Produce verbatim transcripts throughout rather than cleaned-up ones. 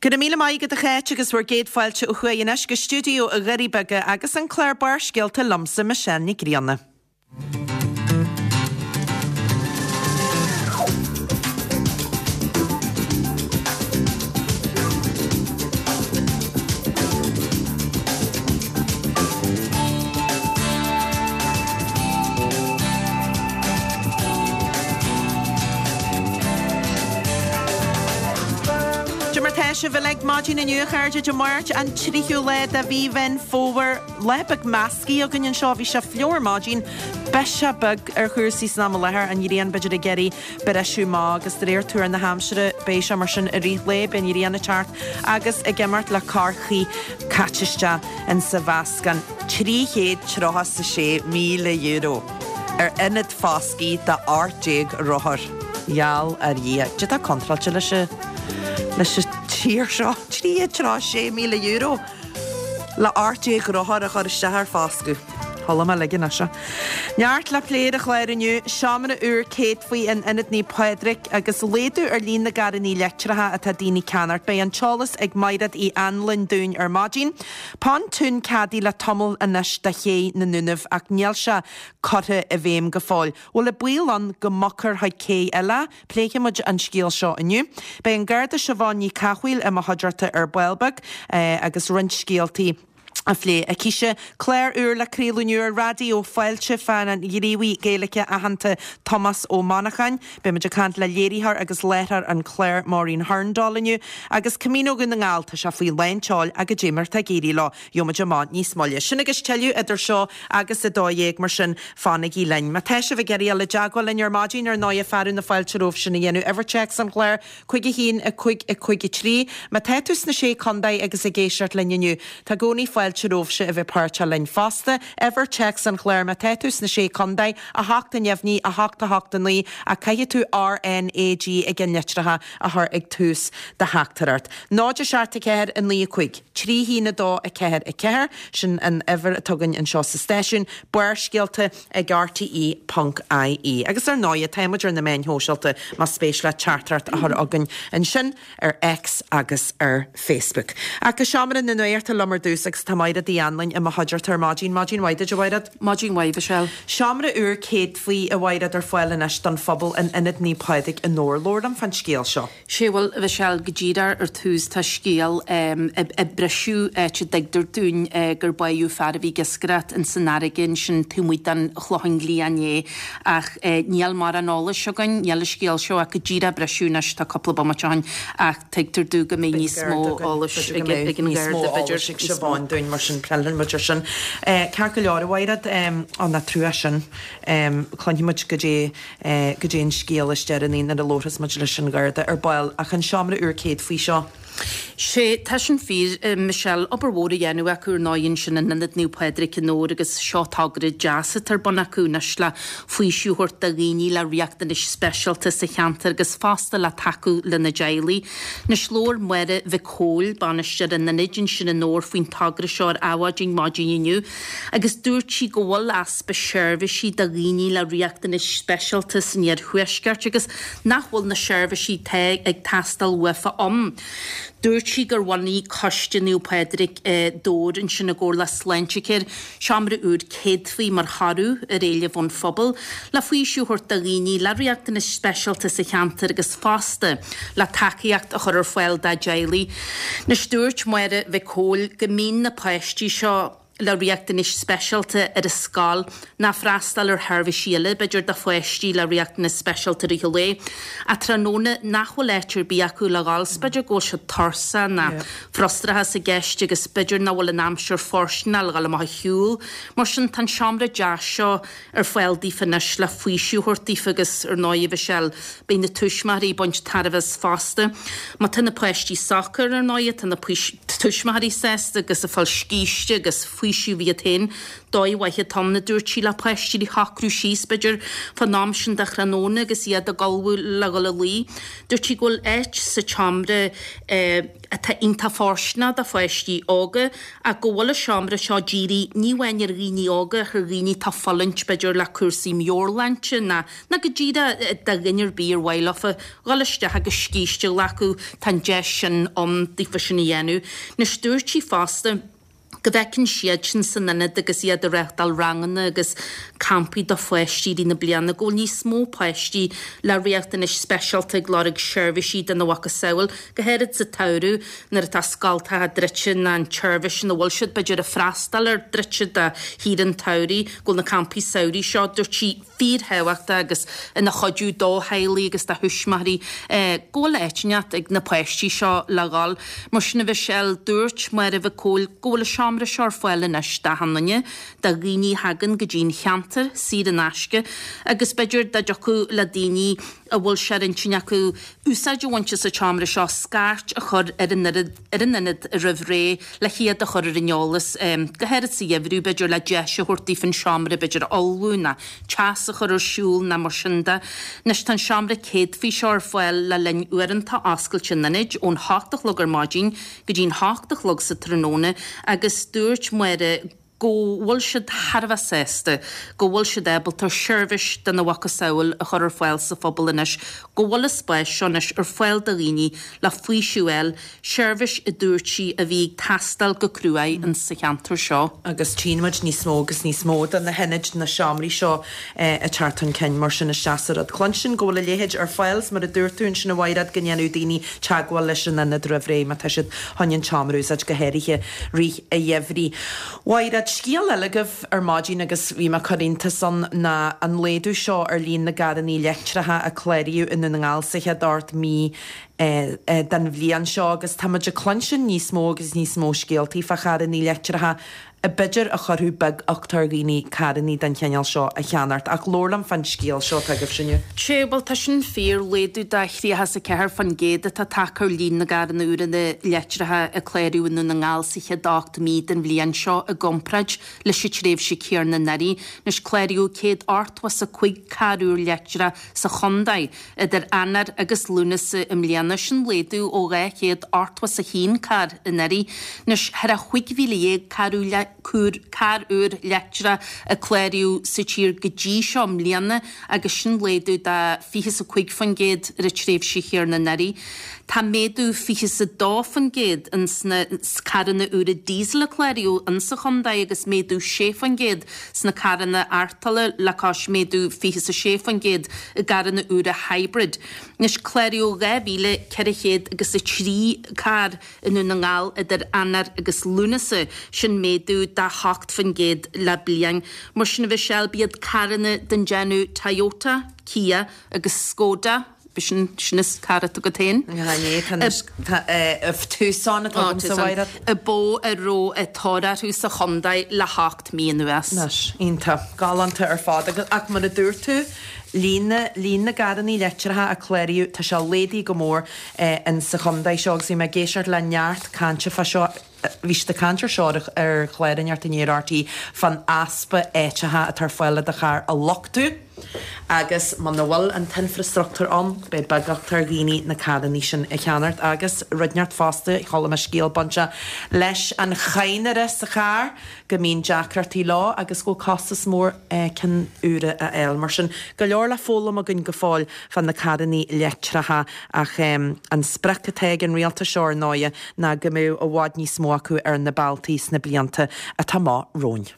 Go raibh míle maith agat a Cháit agus bhur gcéad fáilte ó thuaidh anois go stiúideo i nDoirí Beaga agus an clár Barrscéalta liomsa Michelle Nic Grianna. Cad é mar tá sibh uilig maidin inniu a chairde Dé Máirt an tríú lá de mhí Mheán Fómhair. Lá beag measctha againn anseo, bhí sé fliuch ar maidin, biseach beag ar chúrsaí san am i láthair, an ghrian b'fhéidir ag iarraidh briseadh amach agus de réir tuar na haimsire beidh sé mar sin i rith lae, beidh an ghrian ag teacht agus ag imeacht le corrchith caite isteach insa mheascán. Trí chéad tríocha 's a sé míle euro ar ionad foscaidh do ocht déag rothar. Gheall ar Dhia. Cad é atá contráilte leis an leis an tír seo? Trí chéad tríocha sé míle euro le ocht déag rothar a chur isteach ar foscadh. Chuala mé ligean as seo. Neart le plé ar an chlár inniu, seomra úr céadfaí in Ionad Naomh Pádraig agus laghdú ar líon na gcarranna leictreacha atá daoine ag ceannacht. Beidh an t-eolas ag Maighread Uí Anluain dúinn ar maidin. Pontún ceadaithe le tamall anois do ché na nDúnaibh ach níl sé curtha i bhfeidhm go fóill. Bhfuil an baol ann go mbogfar chuig cé eile? Pléifidh muid an scéal seo inniu. Beidh an Garda Siobhán Ní Cathmhaoil i mo chuideachta ar ball beag agus roinnt scéaltaí á phlé aicise. Clár úr le craoladh inniu ar Raidió Fáilte fán ghníomhaí Gaeilge aitheanta Tomás Ó Monacháin. Beidh muid ag caint le léiritheoir agus láithreoir an chláir Maureen Hurndall inniu. Agus Camino Dhún na nGall, tá sé faoi lán tseoil ach goidé mar atá ag éirí leo, gheobhaidh muid amach níos moille. Sin agus tuilleadh idir seo agus a dó dhéag, mar sin fanaigí linn. Má tá sibh ag iarraidh dul i dteagmháil linn ar maidin, ar ndóighe, fearadh na fáilte romhaibh sin a dhéanamh. Uimhir téacs an chláir, cúig a haon, a cúig, a cúig a trí. Má tá tú sna Sé Contae agus ag éisteacht linn inniu, tá i gcónaí fáilte romhaibhse a bheith páirteach linn fosta. Uimhir téacs an chláir, má tá tú sna Sé Contae, a hocht a neamhní, a hocht a hocht a naoi, ach caithfidh tú RNAG i gceannlitreacha a chur ag tús do theachtaireacht. Náid a seacht a ceathair a naoi a cúig, trí haon a dó a ceathair a ceathair, sin an uimhir atá againn anseo sa stáisiún, Barrscéalta ag RTE ponc IE. Agus ar ndóighe, tá muid ar na meáin shóisialta más spéis leat teachtaireacht a chur chugainn ansin ar X agus ar Facebook. Ach go seomra na nuachta liom ar dtús agus tá Máire Uí Anluain i mo chuideachta ar maidin. Maidin mhaith duit, a Mhaighread. Maidin mhaith, Michelle. Seomra úr céadfaí, a Mhaighread, ar fáil anois don phobal in Ionad Naomh Pádraig i nDobhar. Labhair liom fán scéal seo. Sé bhuel, a Mhichelle, go díreach ar tús tá scéal ag briseadh áit a dtuigtear dúinn gur báitheadh fear a bhí ag iascaireacht ins an fharraige ansin taobh amuigh den Chlochán Liath inné ach níl mórán eolais againn, níl an scéal seo ach go díreach briseadh anois tá cúpla bomaite ó shin ach tuigtear domh go mbeidh níos mó eolais ag an Gharda b'fhéidir. Ag Siobhán dúinn mar sin pléifidh muid ar sin. Ceart go leor a Mhaighread, ó nach trua sin. Cluinfidh muid goidé goidé an scéal is deireanaí nuair a labharfas muid leis an Gharda ar ball ach an seomra úr céadfaí seo. Sé, tá sin fíor, Michelle. Obair mhór á dhéanamh acu ar ndóigh ansin in Ionad Naomh Pádraig i nDobhar agus seo togra deas atá ar bun acu anois le faoiseamh a thabhairt do dhaoine le riachtanais speisialta sa cheantar agus fosta le tacú lena dteaghlaigh. Anois labhair Máire Mhic Cóil, bainisteoir an ionaid ansin i nDobhar faoin togra seo ar Adhmhaidin maidin inniu agus dúirt sí go bhfuil easpa seirbhísí do dhaoine le riachtanais speisialta san iarthuaisceart agus nach bhfuil na seirbhísí atá ag teastáil uafa ann. Dúirt sí gur bhunaigh Coiste Naomh Pádraig i nDobhar ansin i gcomhar le Sláintecare seomra úr céadfaí mar thoradh ar éileamh ón phobal le faoiseamh a thabhairt do dhaoine le riachtanais speisialta sa cheantar agus fosta le tacaíocht a chur ar fáil dá dteaghlaigh. Anois dúirt Máire Mhic Cóil go mbíonn na páistí seo le riachtanais speisialta ar an scoil ná freastal ar sheirbhísí eile, b'fhéidir do pháistí le riachtanais speisialta i rith an lae, ach tráthnóna nach bhfuil áit ar bith acu le dhul 's b'fhéidir go bhfuil siad tuirseach ná frustrachas i gceist agus b'fhéidir nach bhfuil an aimsir fóirsteanach le dhul amach a shiúl. Mar sin tá an seomra deas seo ar fáil daofa anois le faoiseamh a thabhairt daofa agus ar ndóigh a Mhichelle, beidh na tuismitheoirí ag baint tairbhe as fosta. Má tá na páistí socair ar ndóigh, tá na tuismitheoirí sásta agus ag fáil scíste agus faoiseamh iad féin. Dóigh mhaith atá ann, a dúirt sí, le páistí a shocrú síos, b'fhéidir, fán am sin de thráthnóna agus iad ag ullmhú le dhul a luí. Dúirt sí go bhfuil áit sa tseomra, eh, atá iontach fóirsteanach do pháistí óga ach go bhfuil an seomra seo dírithe ní amháin ar dhaoine óga ach ar dhaoine atá ag fulaingt b'fhéidir le cúrsaí meabhairshláinte ná ná go díreach do dhuine ar bith ar mhaith leofa dhul isteach agus scíste a ghlacadh, tá an deis sin ann daofa sin a dhéanamh. Anois dúirt sí fosta go bhfeiceann siadsan san ionad agus iad ag reáchtáil ranganna agus campaí do pháistí i rith na bliana go bhfuil níos mó páistí le riachtanais speisialta ag lorg seirbhísí dena mhacasamhail, go háirid sa tsamhradh nuair atá scoltacha druidte nó an tseirbhís ina bhfuil siad b'fhéidir ag freastal air druidte do shaoire an tsamhraidh, go bhfuil na campaí samhraidh seo, dúirt sí, fíorthábhachtach agus ina chuidiú do theaghlaigh agus do thuismitheoirí go bhfuil áit inteacht ag na páistí seo le dhul. Mar sin a Mhichelle, dúirt Máire Mhic Cóil go bhfuil an seomra seo ar fáil anois d'achan duine, do dhaoine a thagann go dtí'n cheantar, saor in aisce, agus b'fhéidir dá dtiocfadh le daoine a bhfuil sé ar intinn acu úsáid a bhaint as an tseomra seo, scairt a chur ar an ar an ionad roimh ré le hiad a chur ar an eolas, go háirid sa gheimhreadh, b'fhéidir le deis a thabhairt daofa an seomra b'fhéidir a fholmhú ná teas a chur ar siúl ná mar sin de. Anois tá an seomra céadfaí seo ar fáil le linn uaireanta oscailte an ionaid ón hocht a chlog ar maidin go dtí'n hocht a chlog sa tráthnóna agus dúirt Máire go bhfuil siad thar a bheith sásta go bhfuil siad ábalta seirbhís dena mhacasamhail a chur ar fáil sa phobal anois, go bhfuil an spás seo anois ar fáil do dhaoine le faoiseamh a fháil, seirbhís a dúirt sí a bhí ag teastáil go cruaidh in sa cheantar seo. Agus tchíonn muid níos mó agus níos mó de na hionaid, na seomraí seo ag teacht chun cinn mar sin isteach sa rud. Cluinstin go bhfuil a leithéid ar fáil 's mar a dúirt tú ansin a Mhaighread go ndéanadh daoine teagmháil leis an ionad roimh ré má tá siad chun an tseomra a úsáid go háirithe rith an gheimhridh. Mhaighread, scéal eile agaibh ar maidin agus bhí mé ag cur iontas ann ná an laghdú seo ar líon na gcarrannaí leictreacha a cláraíodh i nDún na nGall sa chéad ocht mí den bhliain seo agus tá muid ag cluinstin níos mó agus níos mó scéaltaí fá charrannaí leictreacha a b'fhéidir a chuirfeadh beaguchtach ar dhaoine carrannaí den chineál seo a cheannacht. Ach labhair liom fán scéal seo atá agaibhse inniu. Sea, bhuel tá sin fíor, laghdú de thríocha is a ceathair faoin gcéad atá tagtha ar líon na gcarranna úra leictreacha a cláraíodh i nDún na nGall sa chéad ocht mí den bhliain seo i gcomparáid leis an tréimhse chéanna anuraidh. Anois cláraíodh céad ochtó is a cúig carr úr leictreach sa chontae idir Eanáir agus Lúnasa i mbliana, sin laghdú ó dhá chéad ochtó is a haon carr anuraidh. Anois thar a chúig mhíle dhéag carr úr carr úr leictreach a cláraíodh sa tír go dtí seo i mbliana agus sin laghdú de fiche is a cúig faoin gcéad ar an tréimhse chéanna anuraidh. Tá méadú fiche is a dó faoin gcéad ins na carranna úra diesel a cláraíodh insa chontae agus méadú sé faoin gcéad sna carranna artola le cois méadú fiche is a sé faoin gcéad i gcarranna úra hybrid. Anois cláraíodh dhá mhíle ceithre chéad agus a trí carr i nDún na nGall idir Eanáir agus Lúnasa, sin méadú de hocht faoin gcéad le bliain. Mar sin a Mhichelle, b'iad carranna den déanamh Toyota, Kia agus Skoda, b'shin sin is carr atá agat féin. Tá Tucson atá agamsa a Mhaighread. Ab eo a raibh tóir orthu sa chontae le hocht mí anuas. Anois, iontach. Galánta ar fad. Agus ach mar a dúirt tú, líon na, líon na gcarrannaí leictreacha a cláraíodh, tá sé laghdaithe go mór in sa chontae seo agus bhí mé ag éisteacht le neart cainte fá seo, bhí siad ag caint ar seo ar chlár inteacht inné ar RTÉ fán easpa áiteacha atá ar fáil le do charr a luchtú agus muna bhfuil an t-infreastruchtúr ann, beidh beaguchtach ar dhaoine na carrannaí sin a cheannacht agus rud inteacht fosta, chuala mé scéal bainteach leis an chadhnra sa charr, go mbíonn deacrachtaí leo agus go bhfuil costas mór cinn úra a fháil. Mar sin, go leor le foghlaim againn go fóill fá na carrannaí leictreacha ach an sprioc atá ag an rialtas seo ar ndóighe ná go mbeadh i bhfad níos mó acu ar na bealtaí sna blianta atá amach romhainn.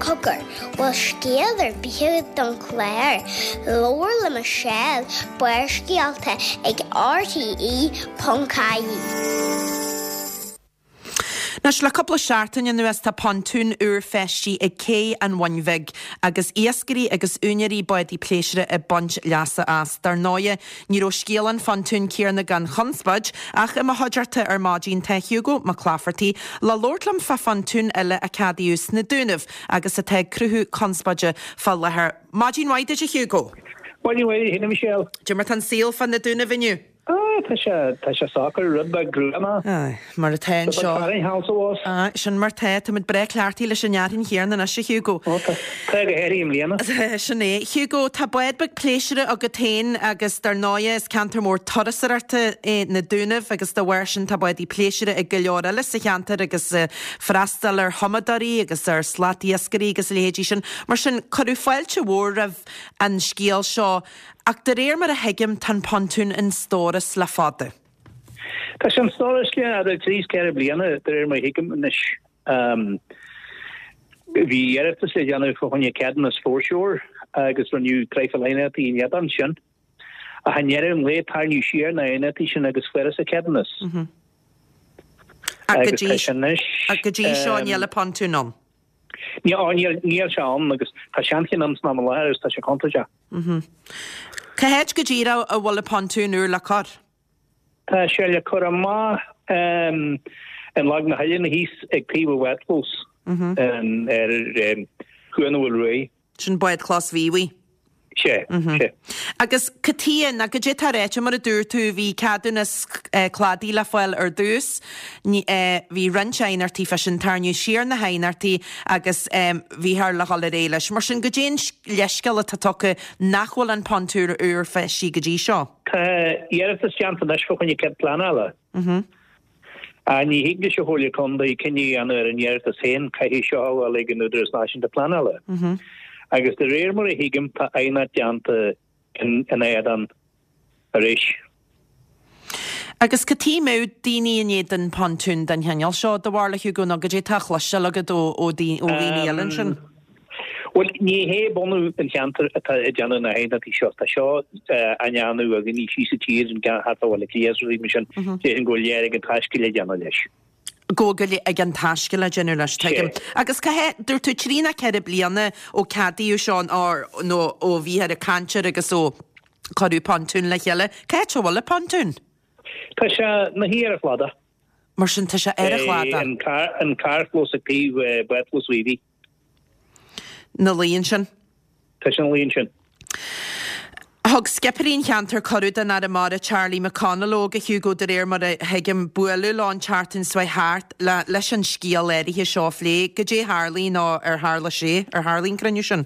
Cogar, bhfuil scéal ar bith agat don chlár? Labhair le Michelle, Barrscéalta ag RTE ponc ie. Anois, le cúpla seachtain anuas tá pontún úr feistithe ag Cé an Bhun Bhig agus iascairí agus úinéirí bádaí pléisiúir ag baint leasa as. Dar ndóighe, ní raibh scéal an phontúin céanna gan chonspóid, ach i mo chuideachta ar maidin tá Hugo Mac Laifeartaigh le labhairt liom fá phontún eile a ceadaíodh sna Dúnaibh agus atá ag cruthú conspóide fá láthair. Maidin mhaith duit a Hugo! Maidin mhaith duit a Michelle. Cad é mar tá an saol fá na Dúnaibh inniu? Ah, tá sé tá sé socair rud beag gruama. Aye, mar atá anseo. Aye, sin mar tá, táimid breá cleachtaithe leis an fhearthainn chéanna anois, a Hugo. Ó, tá tá go háirithe i mbliana. Sin é. Hugo, tá bád beag pléisiúrtha agat féin agus dar ndóighe is ceantar mór turasóireachta é na Dúnaibh agus dá bharr sin tá bádaí pléisiúrtha ag go leor eile sa cheantar agus freastal ar thumadóirí agus ar slatiascairí agus a leithéidí sin. Mar sin, cuireadh fáilte mhór roimh an scéal seo ach de réir mar a thuigim tá an pontún in stóras le fada. Tá sé in stóras le idir trí is ceithre bliana de réir mar a thuigim anois. Bhí iarratas le déanamh fá choinne ceadúnas foreshore agus rinneadh traidhfil aighneachtaí in éadan sin. Ach i ndeireadh an lae tarraingíodh siar na haighneachtaí sin agus fuarthas an ceadúnas. Ach go dtí seo níl an pontún ann. Níl, níl sé ann agus tá seancheann ann san am i láthair agus tá sé contúirteach. Cá háit go díreach a bhfuil an pontún úr le cur? Tá sé le cur amach in Lag na hOileann thíos ag taobh an bhádchlós ar Chuan an Mhaoil Ruaidh. Sin bádchlós Mhíobhaigh. Sea, sea. Agus cad chuige, nó goidé atá ráite, mar a dúirt tú, bhí ceadúnas cladaigh le fáil ar dtús, bhí roinnt aighneachtaí fá sin, tarraingíodh siar na haighneachtaí agus bhíthear le dhul ar aghaidh leis. Mar sin, goidé an leithscéal atá tugtha nach bhfuil an pontún úr feistithe go dtí seo? Tá iarratas déanta anois fá choinne cead pleanála. Ach ní thig leis an Chomhairle Contae cinneadh a dhéanamh ar an iarratas féin, caithfidh seo a ghabháil ag an Údarás Náisiúnta Pleanála. Agus de réir mar a thuigim tá aighneacht déanta ina éadan arís. Agus cad chuige a mbeadh daoine in éadan pontún den chineál seo, do bharúil, a Hugo, nó goidé atá á chloisteáil agat ó dhaoine eile ansin? Bhuel, ní hé bunadh an cheantair atá ag déanamh na haighneachtaí seo. Tá seo á ndéanamh ag daoine síos sa tír, an ceann thart fá Bhaile Átha Cliath is rudaí mar sin. Déarfainn go bhfuil léir ag an taisce le déanamh leis. Go bhfuil ag an taisce le déanamh leis, tuigim. Agus cá háit, dúirt tú trí nó ceithre bliana ó ceadaíodh seo nó ó bhíthear ag caint air agus ó cuireadh pontún le chéile, cá háit a bhfuil an pontún? Tá sé ina shuí ar an chladach. Mar sin tá sé ar an chladach. An carrchlós ag taobh bádchlós Mhíobhaigh. Ina luí ansin. Tá sé ina luí ansin. Thug scipirí an cheantair cuireadh don Aire Mara Charlie McConalogue, a Hugo, de réir mar a thuigim, bualadh leo an tseachtain seo thart le leis an scéal áirithe seo a phlé. Goidé a tharlaigh nó ar tharla sé, ar tharlaigh an cruinniú sin?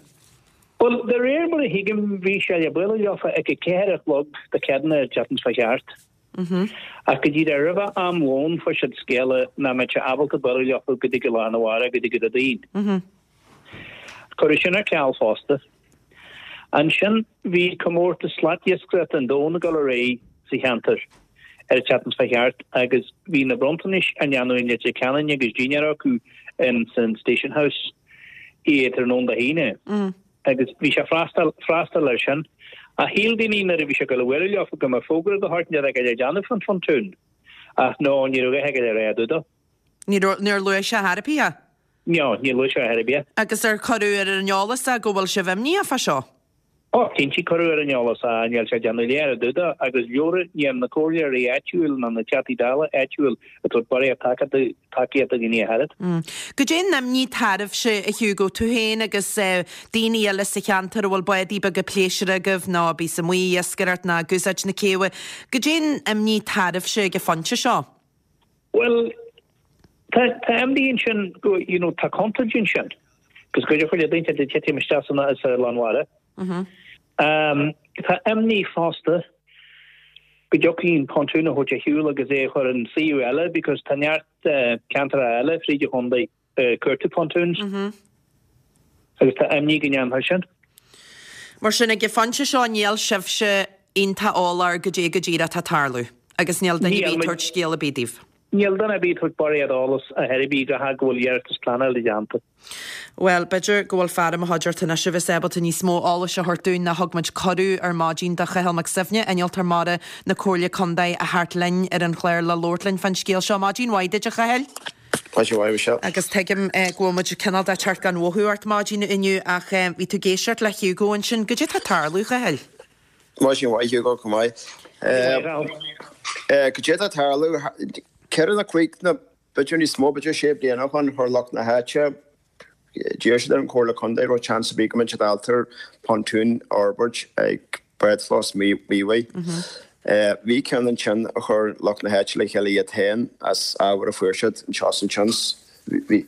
Bhuel, de réir mar a thuigim, bhí sé le bualadh leofa ag a ceathair a chlog Dé Céadaoine an tseachtain seo thart. Ach go díreach roimhe am lóin fuair siad scéala nach mbeadh sé ábalta bualadh leofa go dtí go lá arna mhárach, go dtí go Déardaoin. Cuireadh sin ar ceal fosta. Ansin bhí comórtas slatiascaireachta an domhain ag dul ar aghaidh sa cheantar ar an tseachtain seo thart agus bhí na bronntanais á ndéanamh i Leitir Ceanainn agus dinnéar acu in san Station House i tráthnóna Dé hAoine agus bhí sé freastal freastal air sin. Ach shíl daoine nuair a bhí sé ag dul a bhualadh leofa go mbeadh fógra de shórt inteacht le déanamh fán phontún ach no ní raibh a dhath aige le rá i dtaobh dó. Ní raibh, níor luaigh sé ar bith é? No, níor luaigh sé ar bith é. Agus ar cuireadh ar an eolas é go bhfuil sibh imníoch fá seo? Ó, cinnte, cuireadh ar an eolas é, níl sé ag déanamh léir i dtaobh dó, agus leora, níl na comhairleoirí áitiúil ná na Teachtaí Dála áitiúil ag tabhairt barraíocht tacaíochta do dhaoine ach oiread. Goidé an imní atá oraibhse, a Hugo, tú féin agus daoine eile sa cheantar a bhfuil bádaí beaga pléisiúir agaibh nó a bíos amuigh ag iascaireacht ná ag úsáid na céibhe, goidé an imní atá oraibhse ag an phointe seo? Bhuel, tá tá imní ansin go, you know, tá contúirt ansin, agus go dtiocfadh le daoine a titim isteach san sa lán mhara. Um, tá imní fosta go dtiocfaí an pontún a thabhairt ar shiúl agus é a chur in suíomh eile because tá neart uh, ceantracha eile fríd an chontae ag cuartú pontoons. Agus tá imní go ndéanfar sin. Mar sin, ag an phointe seo níl sibhse iontach eolach goidé go díreach atá ag tarlú agus níl duine ar bith ag tabhairt scéal ar bith daoibh. Níl duine ar bith ag tabhairt barraíocht eolas ar chor ar bith go go bhfuil iarratas pleanála déanta. Bhuel, b'fhéidir go bhfuil fear i mo chuideachta anois a bheas ábalta níos mó eolais a thabhairt dúinn ná thug muid cuireadh ar maidin do Chathal Mac Suibhne, Innealtóir Mara na Comhairle Contae a theacht linn ar an chlár le labhairt linn fán scéal seo. Maidin mhaith duit, a Chathail. Maidin mhaith, Michelle. Agus tuigim go bhfuil muid cineál de teacht gan mhothú ort maidin inniu ach bhí tú ag éisteacht le Hugo ansin. Goidé atá ag tarlú, a Chathail? Maidin mhaith, Hugo, chomh maith. Goidé atá ag tarlú? Ceithre nó cúig nó b'fhéidir níos mó, b'fhéidir sé bliana ó shin, chuir lucht na háite, d'iarr siad ar an Chomhairle Contae raibh seans ar bith go mbeadh siad ábalta pontún a fhorbairt ag bádchlós Mhíobhaigh. Bhí ceann ansin a chuir lucht na háite le chéile iad féin as ábhar a fuair siad anseo is ansin. Bhí,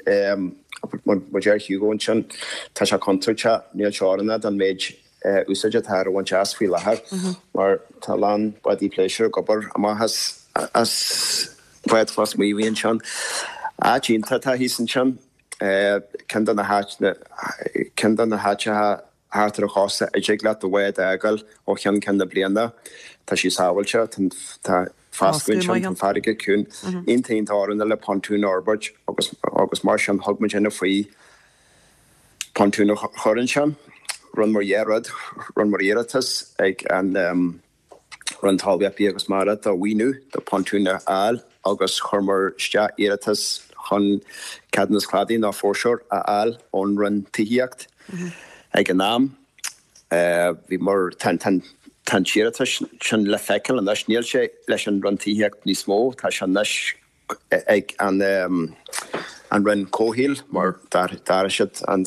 mar deir Hugo ansin, tá sé contúirteach, níl sé oiriúnach don méid úsáide atá á bhaint as faoi láthair mar tá a lán bádaí pléisiúir ag obair amach as as bád lasmuigh a bhí ansin. Áit iontach atá thíos ansin, ceann de na háit ceann de na háiteacha thart ar an chósta a dtig leat do bhád a fhágáil ó cheann ceann na bliana. Tá sí sábháilte, tá foscadh ansin, tá an farraige ciúin. Iontach iontach oiriúnach le pontún a fhorbairt agus agus mar sin thug muid faoi pontún a chur ansin. Rinne muid dhá rud, rinne muid iarratas ag an Roinn Talmhaíochta, Bia agus Mara do mhaoiniú do pontún a fháil agus chuir muid isteach iarratas chun ceadúnas cladaigh nó foreshore a fháil ón Roinn Tithíocht ag an am. Bhí mar tá an t-iarratas sin le feiceáil anois, níl sé leis an Roinn Tithíocht níos mó, tá sé anois ag an an Roinn Comhshaoil mar d'athraigh siad an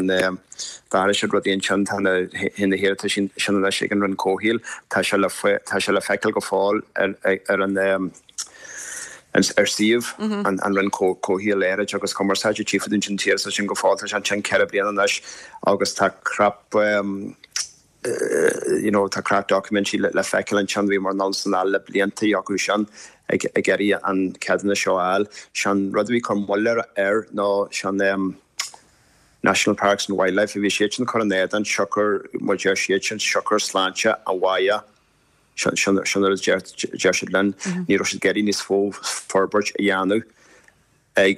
d'athraigh siad rudaí ansin, tá na na hiarratais sin anois ag an Roinn Comhshaoil, tá sé le tá sé le feiceáil go fóill ar ar an ar suíomh an an Roinn Comhshaoil Aeráide agus Cumarsáide, tchífidh tú an t-iarratas sin go fóill, tá sé ansin ceithre bliana anois agus tá crap you know tá crap documentary le feiceáil ansin, bhíomar anonn is anall le blianta acu sin ag ag iarraidh an ceadúnas seo a fháil. Sé'n rud a bhí ag cur moill air ná sé'n National Parks and Wildlife a bhí siadsan ag cur in éadan siocair mar deir siadsan siocair sláinte an bhaile sin sin sin a deir deir siad linn ní raibh siad ag iarraidh níos mó forbairt a dhéanamh ag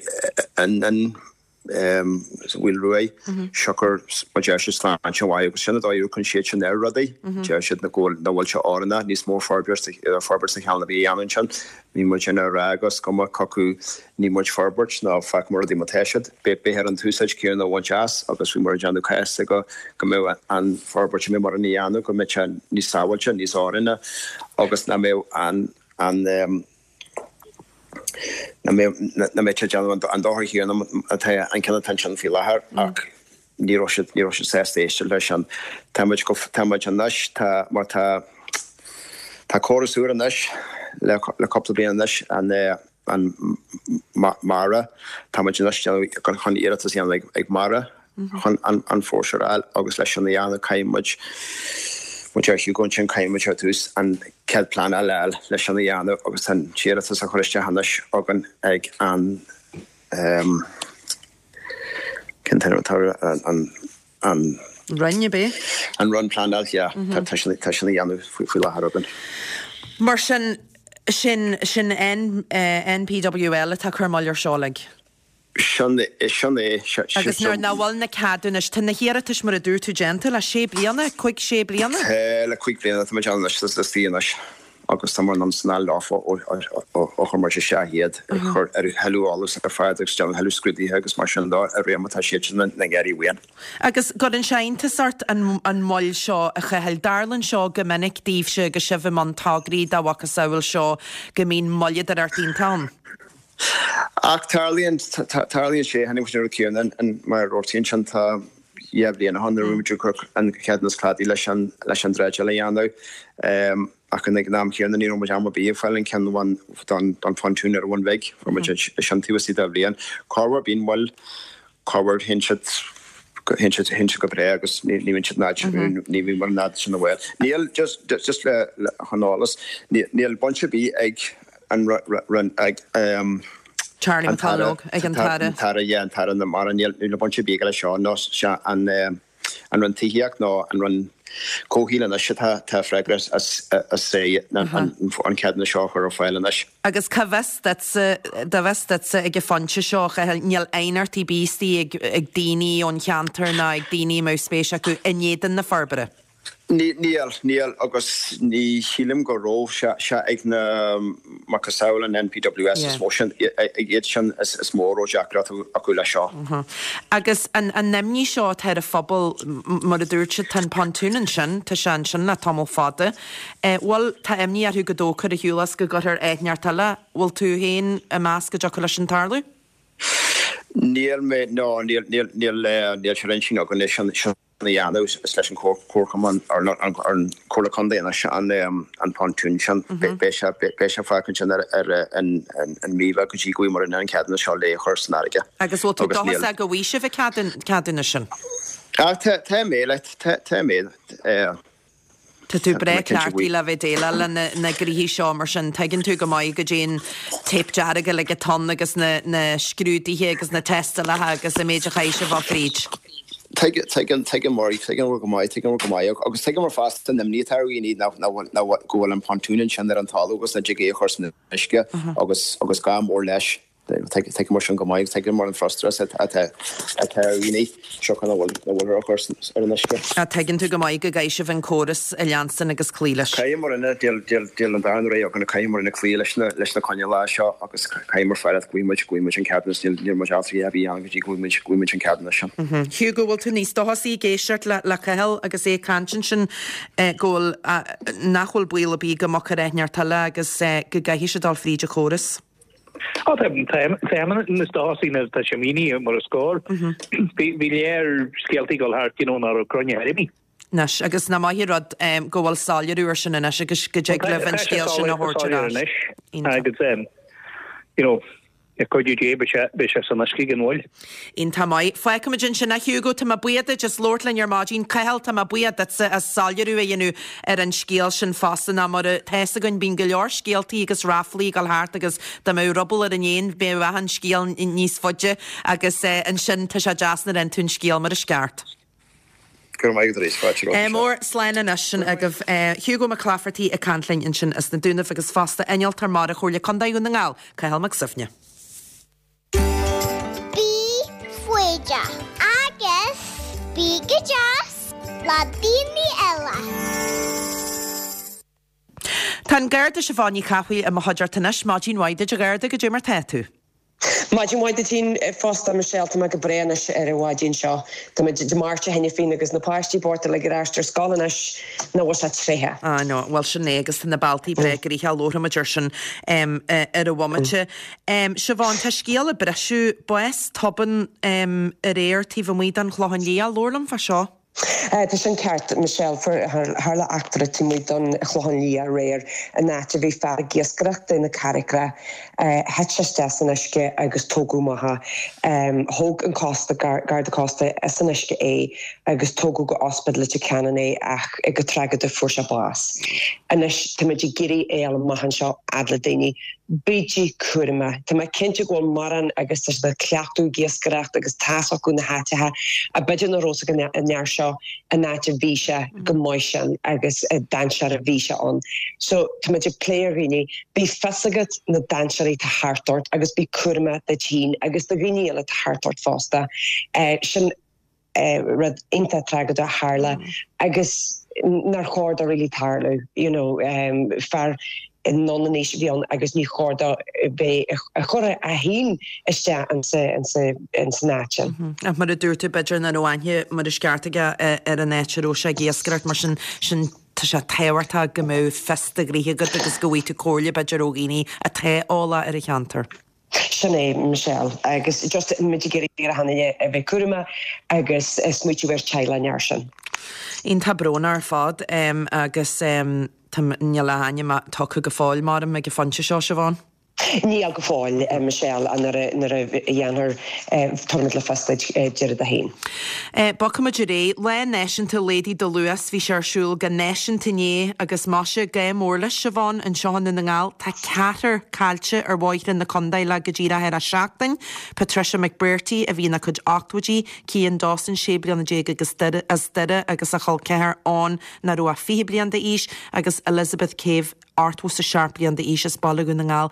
an an sa Mhaoil Ruaidh, siocair mar deir siad sláinte an bhaile agus sin an dóigh a amharcann siad sin ar rudaí. Deir siad nach bhfuil nach bhfuil sé oiriúnach níos mó forbairt forbairt sa cheann a bhí a dhéanamh ansin. Bhí muid ag rá agus cuma cé acu ní muid forbairt ná fágfaidh muid rudaí mar atá siad. Beifear an t-úsáid céanna a bhaint as agus bhí muid ag déanamh cás go go mbeadh an forbairt a mbeadh muid a dhéanamh go mbeadh sé níos sábháilte, níos oiriúnaí agus nach mbeadh an an nach mbeadh sé ag déanamh an dochar chéanna atá an ceann atá ansin faoi láthair ach ní raibh siad ní raibh siad sásta éisteacht leis sin. Tá muid go tá muid anois tá mar tá tá córas úr anois le le cúpla bliain anois an an MARA tá muid anois chun iarratas a dhéanamh ag MARA chun an foreshore a fháil agus leis sin a dhéanamh caithfidh muid mar deir Hugo ansin caithfidh muid ar dtús an cead pleanála a fháil leis sin a dhéanamh agus an t-iarratas a chur isteach anois againn ag an cén t-ainm atá an an Roinn ab é? An Roinn Pleanála, yeah. Tá sin tá sin á dhéanamh faoi láthair againn. Mar sin sin sin NPWL atá ag cur moill air seo uilig? Sin sin é. Agus nuair nach bhfuil na ceadúnais, tá na hiarratais mar a dúirt tú déanta le sé bliana, cúig sé bliana? Tá le cúig bliana, tá muid ann anois, is liostaí anois agus tá muid anonn is anall leofa ó chuir muid isteach iad ag cur ar a thuilleadh eolas ar fad agus déanamh thuilleadh scrúduithe agus mar sin de ar réim atá siad sin ina n-iarraidh uainn. Agus gcuireann sé iontas ort an an moill seo a Chathail. Tarlaíonn seo go minic daoibhse agus sibh i mbun tograí dá mhacasamhail seo go mbíonn moilleadóireacht iontach ann. Ach tarlaíonn, tarlaíonn sé, tháinig muid ar an chéanna an mar a dúirt ansin tá dhá bhliain ó shin nuair a bhí muid ag cur an ceadúnas cladaigh leis an leis an dreideáil a dhéanamh. Ach ag an am céanna ní raibh muid am ar bith ag fáil an ceann amháin don don phontún ar an Bhun Bhig, fuair muid é sin taobh istigh de bhliain. Corruair bíonn moill, corruair théann siad théann siad théann siad go breá agus ní ní bhíonn siad in ní bhíonn mar an fhad sin a bhfuil. Níl just just le le chun eolas, níl baint ar bith ag an Roinn ag Charlie McConalogue ag an tAire. An tAire, yeah, an tAire na Mara. Níl níl baint ar bith aige leis seo ná sé an an Roinn Tithíocht ná an Roinn Comhshaoil anois atá atá freagrach as as an an ceadúnas seo a chur ar fáil anois. Agus cá bhfios duitse, dá bhfios duitse ag an phointe seo, a Chathail, níl aighneacht ar bith istigh ag ag daoine ón cheantar ná ag daoine a mbeadh spéis acu in éadan na forbartha? Níl, níl, agus ní shílim go raibh sé ag na macasamhail an NPWS is mó sin, ag iad sin is mó a raibh deacracht acu leis seo. Agus an imní seo atá ar an phobal, mar a dúirt siad, tá an pontún ansin, tá sé ansin le tamall fada. Bhfuil, tá imní orthu go dtógfar ar shiúl as go gcuirfear áit inteacht eile, bhfuil tú féin ag meas go dtiocfadh leis sin tarlú? Níl mé, no, níl, níl, níl, níl sé ar intinn againn é sin. a dhéanamh is leis an Chomharchumann ar an Chomhairle Contae anois an pontún sin. Beidh sé beidh sé fágtha ansin ar ar an an mí bheag go dtí go bhfaighidh muid an ceadúnas seo le chur san fharraige. Agus bhfuil tú dóchasach go bhfaighidh sibh an ceadúnas sin? Ah tá tá mé like tá tá mé. Tá tú breá cleachtaithe le bheith déileáil le na gnoithí seo mar sin tuigeann tú go maith goidé an téip dearg uilig atá ann agus na na scrúduithe agus na tástálacha agus an méid a chaithfidh sibh a dhul fríd. Tuigeann, tuigeann muid, tuigeann muid go maith, tuigeann muid go maith agus tuigeann muid fosta an imní atá ar dhaoine nach, nach bhfuil, nach bhfuil, go bhfuil an pontún ansin ar an talamh agus nach dtig é a chur san uisce agus, agus gá mór leis. Tuigeann muid sin go maith, tuigeann muid an frustrachas atá, atá ar dhaoine siocair nach bhfuil, nach bhfuil ar a chur ar an uisce. Tuigeann tú go maith go gcaithfidh sibh an córas a leanstan agus cloí leis. Caithfidh muid, níl, níl, níl an darna rogha againn, caithfidh muid cloí leis na, leis na coinníollacha seo agus caithfidh muid fáil go bhfaighidh muid, go bhfaighidh muid an ceadúnas, níl, níl muid ábalta a bheith ann go dtí go bhfaighidh muid, go bhfaighidh muid an ceadúnas sin. Hugo, bhfuil tú níos dóchasaí ag éisteacht le, le Cathal agus é ag caint ansin go bhfuil, nach bhfuil baol ar bith go mbogfar áit inteacht eile agus go gcaithfidh sé dul fríd an chóras? Ó tá tá níos dóchasaí nuair atá sé mínithe mar is cóir. Bhí bhí léir scéaltaí ag dul thart you know nach raibh cruinne ar bith. Anois, agus nach maith an rud go bhfuil soiléiriú ar sin anois agus go dtig libh an scéal sin a thabhairt ar ais. Anois agus you know le cuidiú Dé beidh sé beidh sé san uisce gan mhoill. Iontach maith. Fágfaimid ansin a Hugo, tá mé buíoch duit as labhairt linn ar maidin. Cathal, tá mé buíoch duitse as soiléiriú a dhéanamh ar an scéal sin fosta ná mar atá fhios againn bíonn go leor scéaltaí agus ráflaí ag dul thart agus dá mbeadh ruball ar an éan bheadh achan scéal níos faide agus ansin tá sé deas nuair a fhaigheann tú an scéal mar is ceart. Go raibh maith agat arís, fáilte romhat anseo. Mór, slán anois sin agaibh. Hugo Mac Laifeartaigh ag caint linn ansin as na Dúnaibh agus fosta Innealtóir Mara Chomhairle Contae Dhún na nGall, Cathal Mac Suibhne. Bí foighdeach agus bí go deas le daoine eile. Tá an Garda Siobhán Ní Chathmhaoil i mo chuideachta anois. Maidin mhaith duit a Gharda, goidé mar tá tú? Maidin mhaith duit féin fosta, Michelle. Tá mé go breá anois ar an mhaidin seo. Tá muid Dé Máirt cheana féin agus na páistí bocht uilig ar ais ar scoil anois nach bhfuil sé tréitheach. Ah no, bhuel sin é agus tá na bealtaí breá gnoitheach, labharfaimid ar sin ar an bhomaite. Siobhán, tá scéal ag briseadh, bás tobann aréir taobh amuigh den Chlochán Liath, labhair liom fá seo. Tá sin ceart, Michelle. Tharla eachtra taobh amuigh don Chlochán Liath aréir, an áit a bhí fear ag iascaireacht i na Carraigeacha. Thit sé isteach san uisce agus tógadh amach é. Thóg an cósta, Garda Cósta as an uisce é agus tógadh go Ospidéal Leitir Ceanainn é ach go tragóideach fuair sé bás. Anois táimid ag iarraidh é a fháil amach anseo fhad le daoine. Bígí cúramach. Tá mé cinnte go bhfuil mórán agus tá siad ag cleachtadh ag iascaireacht agus tá's acu na háiteacha a b'fhéidir nach raibh fhios ag an fhear seo an áit a bhí sé go maith sin agus dainséar a bhí sé ann. So tá muid ag plé ar dhaoine, bí fios agat na dainséirí atá thart ort agus bí cúramach duit féin agus do dhaoine eile atá thart ort fosta. Sin rud iontach tragóideach a tharla agus nár chóir dó really tarlú, you know, fear anonn in aois a bhí ann agus ní chóir dó bheith ag cur é féin isteach insan áit sin. Ach mar a dúirt tú, b'fhéidir nach raibh aithne mar is ceart aige ar an áit a raibh sé ag iascaireacht, mar sin, sin tá sé tábhachtach go mbeadh fios do ghnoithe agat agus go bhfaighidh tú comhairle b'fhéidir ó dhaoine atá eolach ar an cheantar. Sin é, Michelle, agus just muid ag iarraidh ar achan duine a bheith cúramach agus smaoitiú ar teaghlach an fhear sin. Iontach brónach ar fad agus tá, níl a ainm tugtha go fóill maram ag an phointe seo, Siobhán. Níl go fóill, Michelle, nuair a nuair a dhéanfar tabharfaimid le fios duit déarfainn dó féin. Bogfaimid ar aghaidh. Lá Náisiúnta Laghdaigh do Luas, bhí sé ar siúl go náisiúnta inné agus maise, gá mór leis, Siobhán, anseo i nDún na nGall. Tá ceathrar caillte ar bhóithre na contae le go díreach ar seachtain. Patricia McBrearty a bhí ina cuid ochtóidí, Cian Dawson, sé bliana déag agus as Doire agus a chol ceathar Eoin nach raibh ach fiche bliain d'aois agus Elizabeth Cave, ochtó is a seacht bliain d'aois as Baile Dhún na nGall.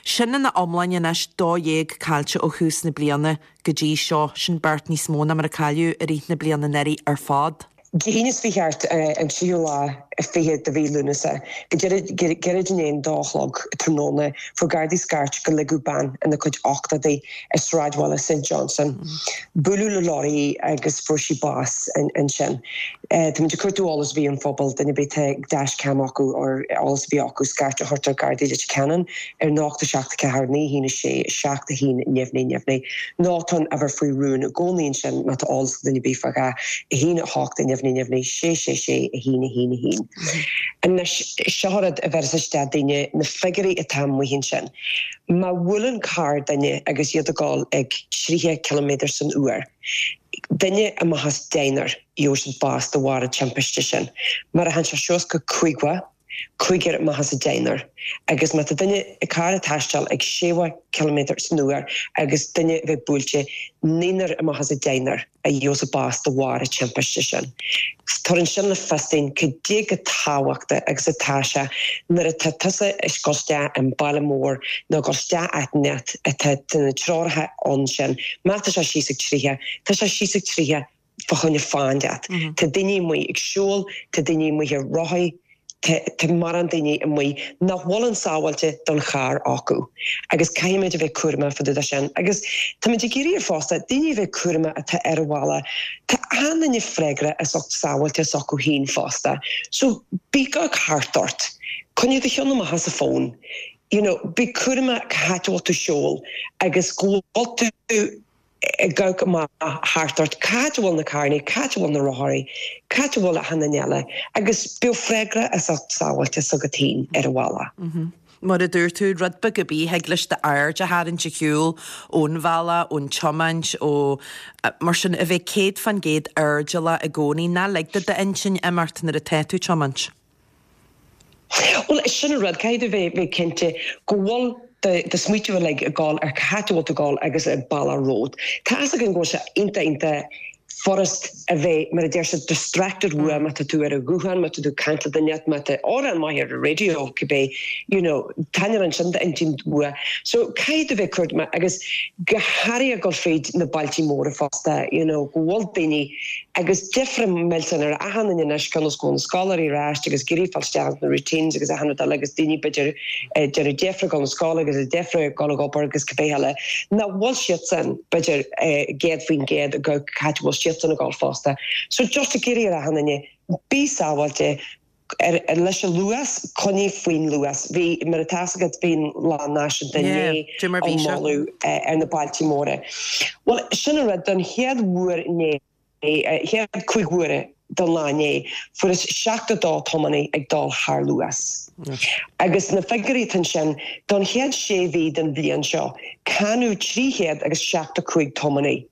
Sin ina iomláine anois dó dhéag caillte ó thús na bliana go dtí seo, sin beirt níos mó ná mar a cailleadh i rith na bliana anuraidh ar fad. Dé hAoine seo chuaigh thart, an tríú lá fiche de mhí Lúnasa, go gairid i ndiaidh an dá chlog tráthnóna, fuair Gardaí scairt gur ligeadh bean ina cuid ochtóidí i sráidbhaile Saint Johnston. Buaileadh le lorry í agus fuair sí bás ansin. Táimid ag cuartú eolas a bhí an phobal, duine ar bith tá dashcam acu or eolas a bhí acu scairt a thabhairt ar Gardaí Leitir Ceanainn ar nocht a seacht a ceathair naoi haon a sé seacht a haon neamhní neamhní. Nó tá an uimhir faoi rún i gcónaí ansin má tá eolas ag duine ar bith fá dhá a haon a hocht neamhní neamhní sé sé sé a haon a haon a haon. Anois seo rud a bheireas isteach daoine na figiúirí atá amuigh ansin. Má bhuaileann carr duine agus iad ag dul ag tríocha ciliméadar san uair, duine amach as deichniúr gheobhaidh siad bás de bharr an timpiste sin. Mar a théann sé suas go caoga, cúigear amach as deichniúr. Agus má tá duine ag carr ag taisteal ag seasca ciliméadar san uair agus duine a bheith buailte, naonúr amach as deichniúr a gheobhas bás de bharr an timpiste sin. Tugann sin le fios dúinn cad é chomh tábhachtach agus atá sé nuair atá tusa ag dul isteach i mbaile mór nó dul isteach áit inteacht atá na treoracha ann sin. Má tá sé síos ag tríocha, tá sé síos ag tríocha fá choinne fáth inteacht. Tá daoine amuigh ag siúl, tá daoine amuigh ar rothaí, tá mórán daoine amuigh nach bhfuil an sábháilte don charr acu. Agus caithfimid a bheith cúramach fá dtaobh de sin. Agus táimid ag iarraidh fosta daoine a bheith cúramach atá ar an bhaile. Tá achan duine freagrach as ucht sábháilte s'acu féin fosta. So bí ag amharc thart ort. Coinnigh do cheann amach as an bhfón. You know, bí cúramach cá háit a bhfuil tú ag siúl agus go bhfuil tú ag amharc amach thart ort, cá háit a bhfuil na carranna, cá háit a bhfuil na rothaí, cá háit a bhfuil achan duine eile, agus bíodh freagrach as ucht sábháilte s'agat féin ar an bhaile. Mar a dúirt tú, rud beag ar bith, thig leis d'aird a tharraingt ar shiúl ón bhealach, ón tiomáint, ó mar sin, a bheith céad fan gcéad airdeallach i gcónaí, ná lig do d'intinn imeacht nuair atá tú ag tiomáint. Bhuel, sin an rud, caithfidh tú bheith bheith cinnte go bhfuil do smaoitiú uilig ag gabháil ar cá háit a bhfuil tú ag gabháil agus an bealach romhat. Tá fhios againn go bhfuil sé iontach iontach furast a bheith, mar a deir siad, distracted uaim má tá tú ar an ghuthán, má tá tú ag caint le duine, má tá amhrán maith ar an raidió cibé, you know, taitneann ansin d'intinn uaidh. So caithfidh tú bheith cúramach agus go háirithe ag dul fríd na bailtí móra fosta, you know, go bhfuil daoine agus deifre millteanach ar achan duine anois cionn is go bhfuil na scoláirí ar ais agus ag iarraidh fáil isteach ins na routines agus achan rud eile agus daoine b'fhéidir ag déanamh deifre dul na scoile agus ag deifre dul ag obair agus cibé eile nach bhfuil siadsan b'fhéidir céad faoin gcéad go cá háit a bhfuil siadsan ag dul fosta. So just ag iarraidh ar achan duine bí sábháilte ar ar leis an luas, coinnigh faoin luas. Bhí mar atá fhios agat bhí an lá náisiúnta inné Yeah, mar á bhí sé. moladh ar na bailtí móra. Well sin an rud don chéad uair inné chéad cúig huaire don lá inné, fuarthas seachtó dó tiománaí ag dul thar luas. Agus na figiúirí ansin don chéad sé mhí den bhliain seo, cáineadh trí chéad agus seachtó cúig tiománaí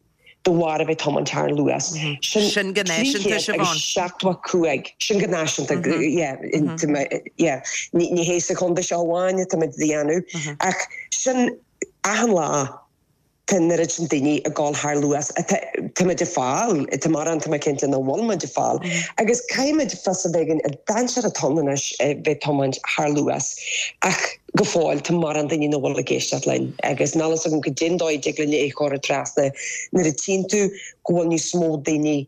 de bharr a bheith tiomáint thar luas. Sin Sin go náisiúnta, Siobhán. seachtó cúig sin go náisiúnta yeah, in- tá mé- yeah, ní ní hé sa chontae seo amháin atá muid a dhéanamh ach sin achan lá tá an oiread sin daoine ag dul thar luas tá muid ag fáil tá mórán tá mé cinnte nach bhfuil muid ag fáil. Agus caithfimid fios a bheith againn an dainséar atá ann anois bheith tiomáint thar luas ach go fóill tá mórán daoine nach bhfuil ag éisteacht linn agus níl a fhios agam cén dóigh a dtig linn é a chur trasna nuair a tchíonn tú go bhfuil níos mó daoine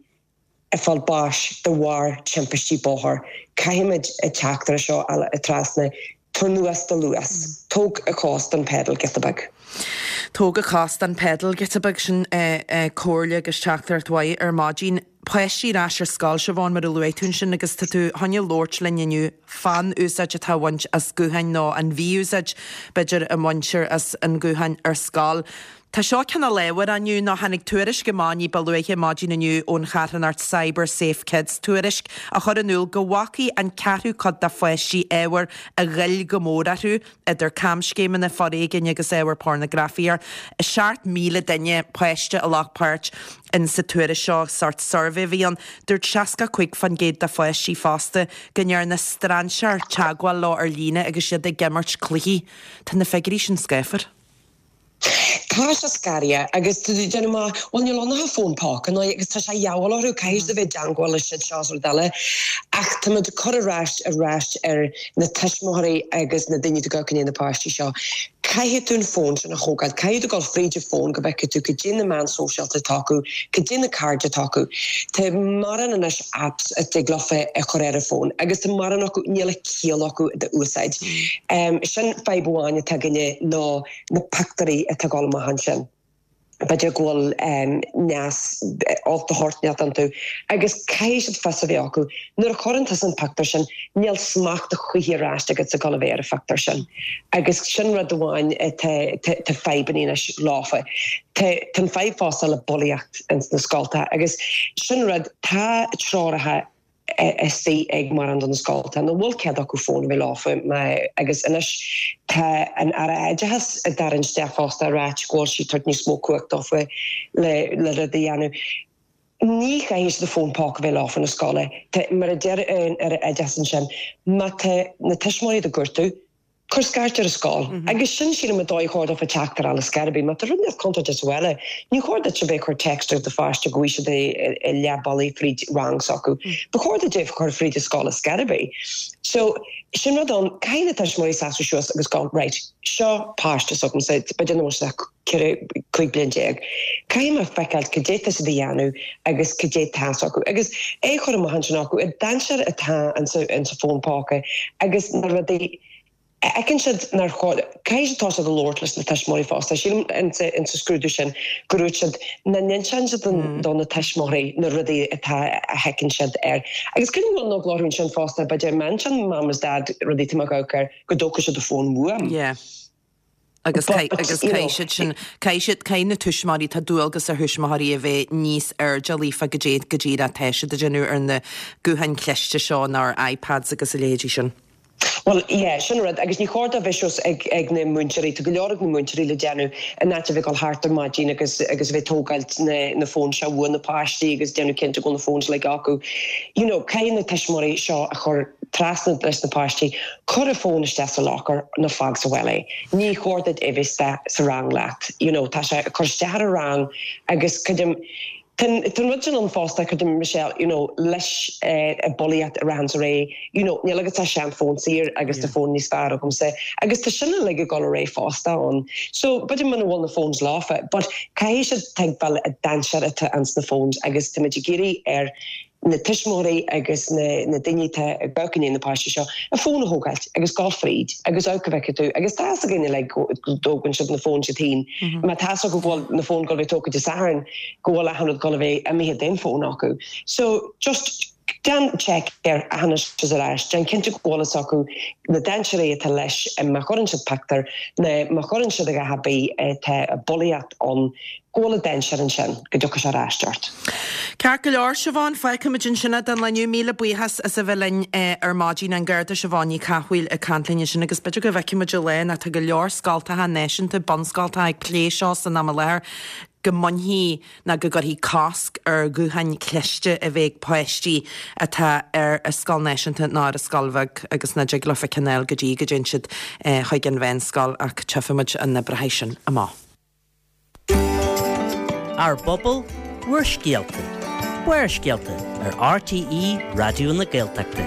ag fáil báis de bharr timpistí bóthair. Caithfimid an teachtaireacht seo a trasna tabhair anuas do luas. Tóg a chos den pedal giota beag. Tóg a chos den pedal giota beag sin comhairle agus teachtaireacht mhaith ar maidin. Páistí ar ais ar scoil Siobhán mar a luaigh tú ansin agus tá tú chun labhairt linn inniu fán úsáid atá á bhaint as gutháin nó an mhí-úsáid b'fhéidir a mbaintear as an guthán ar scoil. Tá seo cineál ábharach inniu nó tháinig tuairisc amach ní ba luaithe maidin inniu ón charthanacht Cyber Safe Kids tuairisc a chur in iúl go bhfaca an ceathrú cuid de pháistí ábhar a ghoill go mór orthu idir camscéimeanna foréigin agus ábhar pornagrafaíochta. Seacht míle duine páiste a ghlac páirt in sa tuairisc seo sort suirbhé a bhí ann dúirt seasca cúig faoin gcéad de pháistí fosta go ndearna strainséir teagmháil leo ar líne agus iad ag imirt cluichí. Tá na figiúirí sin scáfar. Tá sé scary agus déanamh má bhfuil níl ann ach fón póca ná agus tá sé dheabhail orthu caithfidh a bheith i dteagmháil le siad seo rud eile ach tá muid ag cur arís arís ar na tuismitheoirí agus na daoine atá ag na páistí seo. Caithfidh tú an fón sin a thógáil, caithfidh tú dul fríd an fón go bhfeicfidh tú cad é na meáin sóisialta atá acu, cad é na cairde atá acu. Tá mórán anois apps a dtig leofa a chur ar an fón agus tá mórán acu níl a ciall acu d'úsáid. Um, sin fadhb amháin atá againne ná na pictiúirí atá ag dul amach ansin. B'fhéidir go bhfuil um, neas olc de shórt inteacht iontu agus caithfidh siad fios a bheith acu nuair a chuireann tusa an pictiúr sin níl smacht a choíche ar ais agat sa gol a bheith ar an phictiúr sin. Agus sin rud amháin tá fadhbanna anois leofa. Tá an fadhb fosta le bulaíocht ins na scolta agus sin rud tá treoracha istigh ag mórán de na scolta nach bhfuil cead acu fón a bheith leofa agus anois tá an Aire Oideachais ag tarraingt isteach fosta ag ráit go bhfuil sí ag tabhairt níos mó cumhacht dófa le le rud a dhéanamh. Ní chaithfidh siad fón póca a bheith leofa na scoile. Mar a deir an Aire Oideachais ansin má tá na tuismitheoirí do gortú, Cuir scairt ar an scoil. Agus sin sílim an dóigh chóir dófa teacht ar eolas ar bith. Má tá rud inteacht contúirteach sa bhaile, ní chóir duit a bheith ag cur text ar do pháiste go bhfuil siad i leath bealaigh fríd rang s'acu. Ba chóir duit é a chur fríd an scoil ar scor ar bith. So sin rud ann, caithfidh na tuismitheoirí seasamh suas agus go, right, seo páiste s'agamsa, b'fhéidir nach bhfuil sé ach ceithre, cúig bliain déag. Caithfidh mé feiceáil cad é tá siad a dhéanamh agus cad é tá acu. Agus é a chur amach ansin acu, an dainséar atá insa fón póca agus na rudaí a fheiceann siad nár chóir, caithfidh siad tosú ag labhairt leis na tuismitheoirí fosta. Sílim insa insa scrúdú sin go raibh siad nach n-inseann siad do na tuismitheoirí na rudaí atá a fheiceann siad air. Agus cuireann go bhfuil an eagla orthu ansin fosta, b'fhéidir má insíonn mam is dad rudaí atá mé ag amharc air, go dtógfaidh siad an fón uaim. Yeah. Agus agus caithfidh siad sin, caithfidh siad, caithfidh na tuismitheoirí, tá dualgas ar thuismitheoirí a bheith níos airdeallaí fá goidé go díreach atá siad a déanamh ar na gutháin chliste seo nó ar iPads agus a leithéidí sin. Bhuel, yeah, sin rud, agus ní chóir dó bheith suas ag ag na múinteoirí, tá go leor ag na múinteoirí le déanamh in áit a bheith ag dul thart ar maidin agus agus a bheith ag tógáilt na na fóin seo uaidh na páistí agus déanamh cinnte go bhfuil na phones uilig acu. You know, caithfidh na tuismitheoirí seo a chur trasna leis na páistí, cuir an fón isteach sa locker nó fág sa bhaile é. Ní chóir duit é bheith sa rang leat. You know, tá sé ag cur isteach ar an rang agus creidim Tá an rud sin ann fosta, creidim Michelle, you know, leis an bulaíocht a ritheanns ar aghaidh, you know, níl agat ach seanfhón saor agus tá fón níos fearr agamsa agus tá sin uilig ag dul ar aghaidh fosta ann. So b'fhéidir muna bhfuil na phones leofa, but caithfidh siad tuigbheáil an dainséar atá ins na phones agus táimid ag iarraidh ar na tuismitheoirí agus na na daoine atá ag amharc i ndiaidh na páistí seo a fón a thógáilt agus gabháil fríd agus amharc go bhfeicfidh tú agus tá fhios againn uilig go dtógann siad na fóin siad féin má tá fhios acu go bhfuil na fóin ag gabháil a bheith tógtha Dé Sathairn go bhfuil achan rud ag gabháil a bheith imithe den fón acu. So just déan check air anois is arís, déan cinnte go bhfuil fhios acu na dainséirí atá leis má chuireann siad pictiúr nó má chuireann siad a dhath ar bith atá bulaíocht ann go bhfuil an dainséar ansin go dtiocfaidh sé ar ais ort. Ceart go leor, Siobhán, fágfaimid ansin é don lá inniu. Míle buíochas as a bheith linn ar maidin. An Garda Siobhán Ní Chathmhaoil ag caint linn ansin agus b'fhéidir go bhfeicfimid an lá ná tá go leor scoltacha náisiúnta, bunscoltacha ag plé seo san am i láthair, go mbainfí ná go gcuirfí cosc ar ghutháin chliste a bheith ag páistí atá ar a scoil náisiúnta ná ar a scoil bheag agus nach dtig leofa ceann a fháil go dtí go dtéann siad chuig an mheánscoil ach tchífimid an oibreoidh sin amach. Ár bPobal, Bhur Scéalta, Barrscéalta ar RTÉ Raidió na Gaeltachta.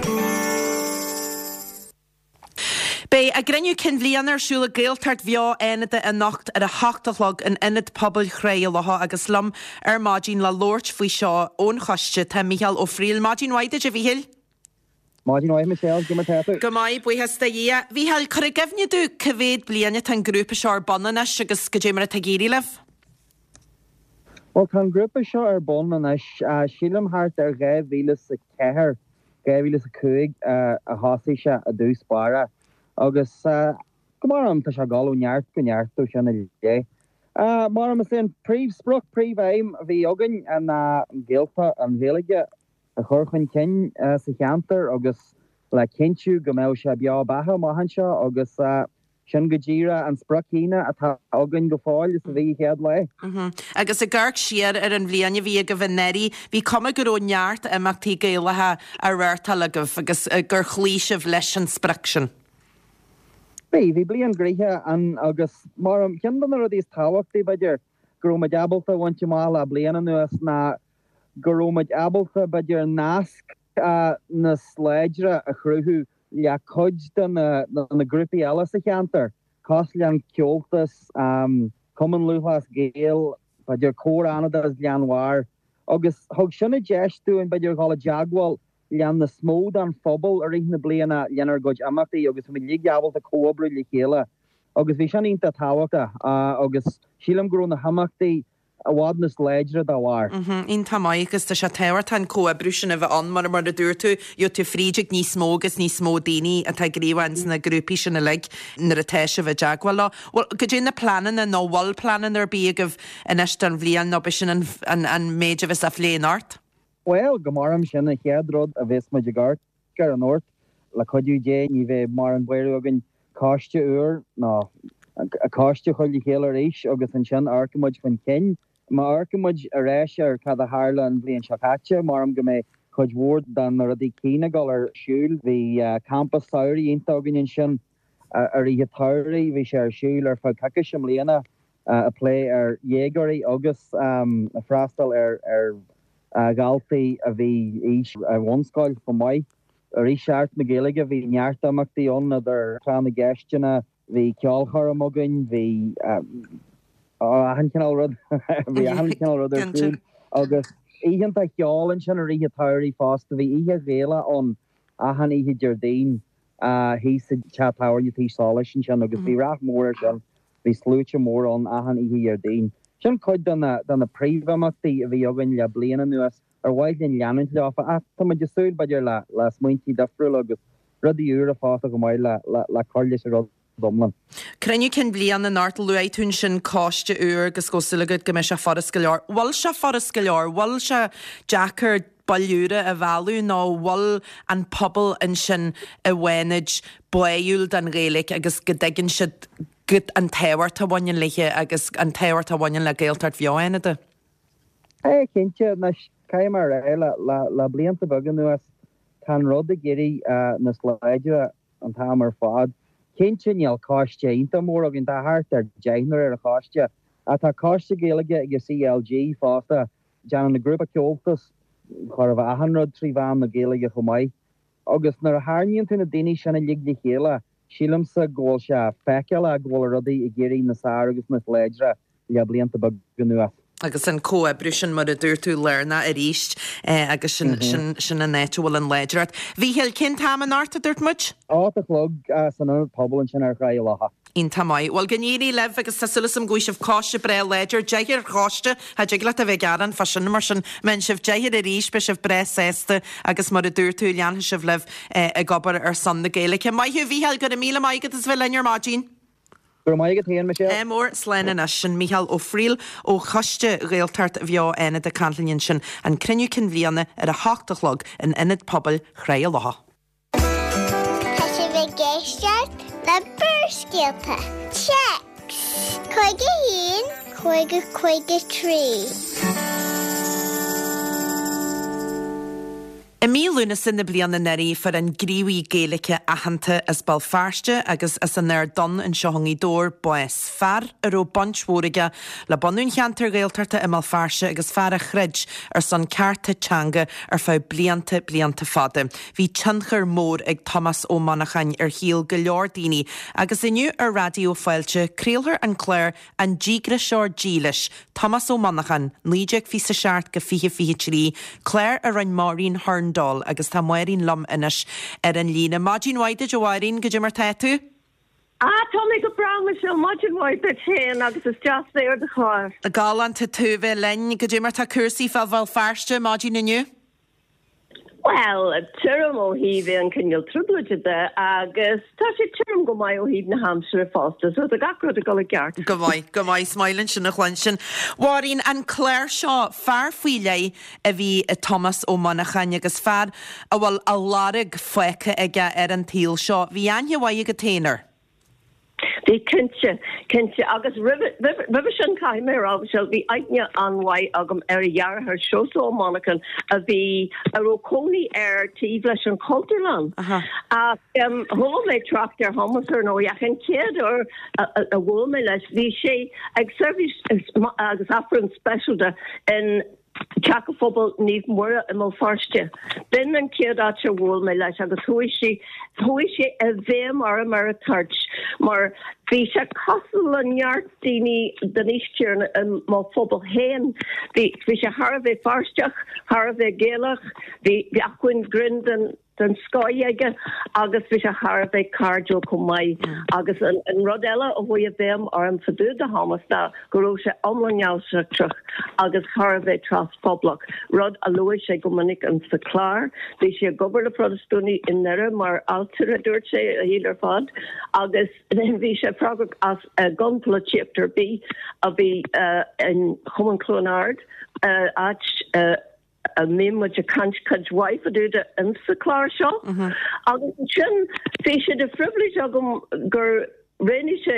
Beidh a gcruinniú cinn bhliana ar siúl ag Gaeltacht Bheo Fhánada anocht ar a hocht a chlog in Ionad Pobail Thrá Locha agus liom ar maidin le labhairt faoi seo ón choiste tá Mícheál Ó Frighil. Maidin mhaith duit a Mhíchíl. Maidin mhaith Michelle, cad é mar tá tú? Go maith, buíochas do Dhia. Mhíchíl, cuir i gcuimhne domh cá mhéad bliain atá an grúpa seo ar bun anois agus cad é mar atá ag éirí libh? Bhuel tá an grúpa seo ar bun anois, sílim thart ar dhá mhíle is a ceathair, dhá mhíle is a cúig a thosaigh sé i dtús báire agus go maram tá sé ag dul ó neart go neart ó sin i leith. Maram is é an príomhsprioc, príomhaidhm a bhí againn ná an Ghaeltacht, an Ghaeilge a chur chun cinn sa cheantar agus le cinntiú go mbeadh sé beo beatha amach anseo agus Sin go díreach an sprioc chéanna atá againn go fóill is a bhí an chéad lá. Agus ag amharc siar ar an bhliain a bhí agaibh anuraidh, bhí cuma go raibh neart imeachtaí Gaelacha á reáchtáil agaibh agus gur chloígh sibh leis an sprioc sin. Bhí, bhí bliain gnoitheach ann agus mar cheann de na rudaí is tábhachtaí, b'fhéidir, go raibh muid ábalta a bhaint amach le bliain anuas ná go raibh muid ábalta, b'fhéidir, nasc níos láidre a chruthú le cuid de na grúpaí eile sa cheantar Cosúil le an Comhaltas, Cumann Lúthchleas Gael, b'fhéidir Comhar Fhánada as Gleann Bharr, agus thug sin an deis dúinn b'fhéidir dhul i dteagmháil le níos mó den phobal i rith na bliana lenár gcuid imeachtaí agus bhí muid uilig ábalta comhoibriú le chéile agus bhí sin iontach tábhachtach agus sílim go raibh na himeachtaí i bhfad níos láidre dá bharr. Iontach maith agus tá sé tábhachtach an comhoibriú sin a bheith ann mar mar a dúirt tú, gheobhaidh tú fríd ag níos mó agus níos mó daoine atá gníomhach ins na grúpaí sin uilig nuair atá sibh i dteagmháil leo. Bhuel, goidé na pleananna nó bhfuil pleananna ar bith agaibh anois don bhliain nó b'shin an an an méid a bheas á phlé anocht? Bhuel, go maram sin an chéad rud a bheas muid ag amharc air anocht. Le cuidiú Dé ní bheidh mórán buaireamh againn coiste úr nó coiste a chur le chéile arís agus ansin amharcfaidh muid chun cinn. Má amharcann muid ar ais ar cad a tharla an bhliain seo caite, maram go mbeidh cuid mhór de na rudaí céanna ag dul ar siúl. Bhí campa samhraidh iontach againn ansin i rith an tsamhraidh. Bhí sé ar siúl ar feadh coicíse i mbliana, ag plé ar dhéagóirí agus ag freastal ar dhaltaí a bhí aois ar bhunscoil chomh maith. I rith Seachtain na Gaeilge bhí neart imeachtaí ann idir tráth na gceisteanna, bhí ceolchoirm againn, bhí achan chineál rud, bhí achan chineál rud ar siúl agus oícheanta cheoil ansin i rith an tsamhraidh fosta. Bhí oíche Ghaelach ann achan oíche Déardaoin thíos sa teach tábhairne Tí Solais ansin agus bhí rath mór air sin. Bhí sluaite mór ann achan oíche Dhéardaoin. Sin cuid de na de na príomhimeachtaí a bhí againn le bliain anuas. Ar mhaith linn leanúint leofa ach tá muid ag súil, b'fhéidir, le le smaointí difriúla agus rudaí úra fosta chomh maith le le le cur leis an rud iomlán. Cruinniú Cinn Bliana anocht, luaigh tú ansin coiste úr agus go bhfuil súil agat go mbeidh sé furast go leor. Bhfuil sé furast go leor? Bhfuil sé deacair baill úra a mhealladh nó bhfuil an pobal ansin i bhFánaid báúil don Ghaeilge agus go dtuigeann siad an tábhacht a bhaineann léi agus an tábhacht a bhaineann le Gaeltacht bheo Fhánada? É cinnte, anois, caithfidh mé a rá, le le blianta beaga anuas, tá an rud ag éirí níos láidre an t-am ar fad. Cinnte níl coiste iontach mór againn, tá thart ar deichniúr ar an choiste, ach tá coiste Gaeilge ag an CLG fosta, déanann an grúpa Comhaltas chóir a bheith achan rud trí mheán na Gaeilge chomh maith. Agus nuair a tharraingíonn tú na daoine sin uilig le chéile, sílimse go bhfuil sé feiceálach go bhfuil rudaí ag éirí níos fearr agus níos láidre le blianta beaga anuas. Agus an comhoibriú sin, mar a dúirt tú, lárnach arís agus sin, sin, sin an áit a bhfuil an láidreacht. Mhíchíl, cén t-am anocht a dúirt muid? Ocht a chlog san Ionad Pobail ansin ar Thráigh a' Locha. Iontach maith. Bhuel, go n-éirí libh agus tá súil agam go bhfaighidh sibh coiste breá láidir. Deichniúr ar choiste, cha dtig leat a bheith ag gearán fá sin, mar sin, má fhaigheann sibh deichniúr arís, beidh sibh breá sásta agus mar a dúirt tú, leanfaidh sibh libh ag obair ar son na Gaeilge. Maith thú, a Mhícheáil, go raibh míle maith agat as bheith linn ar maidin. Go raibh maith agat féin, Michelle. Ádh mór, slán anois. Sin Mícheál Ó Frighil ó Choiste Ghaeltacht Bheo Fhánada ag caint linn ansin. An Cruinniú Cinn Bhliana ar a hocht a chlog in Ionad Pobail Thráigh a' Locha. Tá sibh ag éisteacht le Barrscéalta. Téacs cúig a haon, cúig a cúig a trí. I mí Lúnasa na bliana anuraidh fuair an gníomhaí Gaeilge aitheanta as Béal Feirste agus as an Aird Donn anseo i nGaoth Dobhair bás. Fear a raibh baint mhór aige le bunú an cheantair Ghaeltachta i mBéal Feirste agus fear a throid ar son cearta teanga ar feadh blianta, blianta fada. Bhí tionchar mór ag Tomás Ó Monacháin ar shaol go leor daoine agus inniu ar Raidió Fáilte craolfar an clár An Díograiseoir Dílis, Tomás Ó Monacháin, naoi déag fiche a seacht go fiche fiche trí, clár a rinne Máirín Hurndall agus tá Máirín liom anois ar an líne. Maidin mhaith duit a Mháirín, goidé mar tá tú? Ah, tá mé go breá Michelle, maidin mhaith duit féin agus is deas bheith ar do chlár. Galánta tú bheith linn. Goidé mar tá cúrsaí fá Bhéal Feirste maidin inniu? Bhuel, tirim ó thaobh aon chineál trioblóide de agus tá sé tirim go maith ó thaobh na haimsire fosta, so tá gach rud ag dul i gceart. Go maith, go maith, is maith linn sin a chluinstin. Mháirín, an clár seo, fear faoi leith a bhí i Tomás Ó Monacháin agus fear a bhfuil a lorg fágtha aige ar an tsaol seo. Bhí aithne mhaith agat féin air. Bhí, cinnte, cinnte. Agus roimhe, roimhe, roimhe sin, caithfidh mé a rá, Michelle, bhí aithne an-mhaith agam ar a dheartháir, Seosamh Ó Monacháin, a bhí, a raibh cónaí air taobh leis an Chultúrlann. Ach chuala mé trácht ar Thomás, ar ndóigh, ach an chéad uair a, a, a bhuail mé leis, bhí sé ag seirbhís agus Aifreann speisialta in Teach an Phobail Naomh Muire i mBéal Feirste. B'in an chéad áit a bhuail mé leis agus chuaigh sé chuaigh sé i bhfeidhm orm ar an toirt mar bhí sé cosúil le neart daoine den aois chéanna i mo phobal féin. Bhí bhí sé thar a bheith Feirsteach, thar a bheith Gaelach, bhí bhí acmhainn grinn den den scoth aige agus bhí sé thar a bheith cairdiúil chomh maith. Agus an an rud eile a chuaigh i bhfeidhm orm fá dtaobh de Thomas ná go raibh sé iomlán neamhsheachtrach agus thar a bheith trasphobalach, rud a luaigh sé go minic in sa chlár. Bhí sé ag obair le Protastúnaigh i nDoire mar ailtire, dúirt sé, a shaol ar fad, agus bhí sé freagrach as gan polaitíocht ar bith a bhí in Chumann Chluain Ard, áit a mbíonn muid ag caint cuid mhaith fá dtaobh de insa chlár seo. Agus ansin bhí sé de phribhléid agam gur roghnaigh sé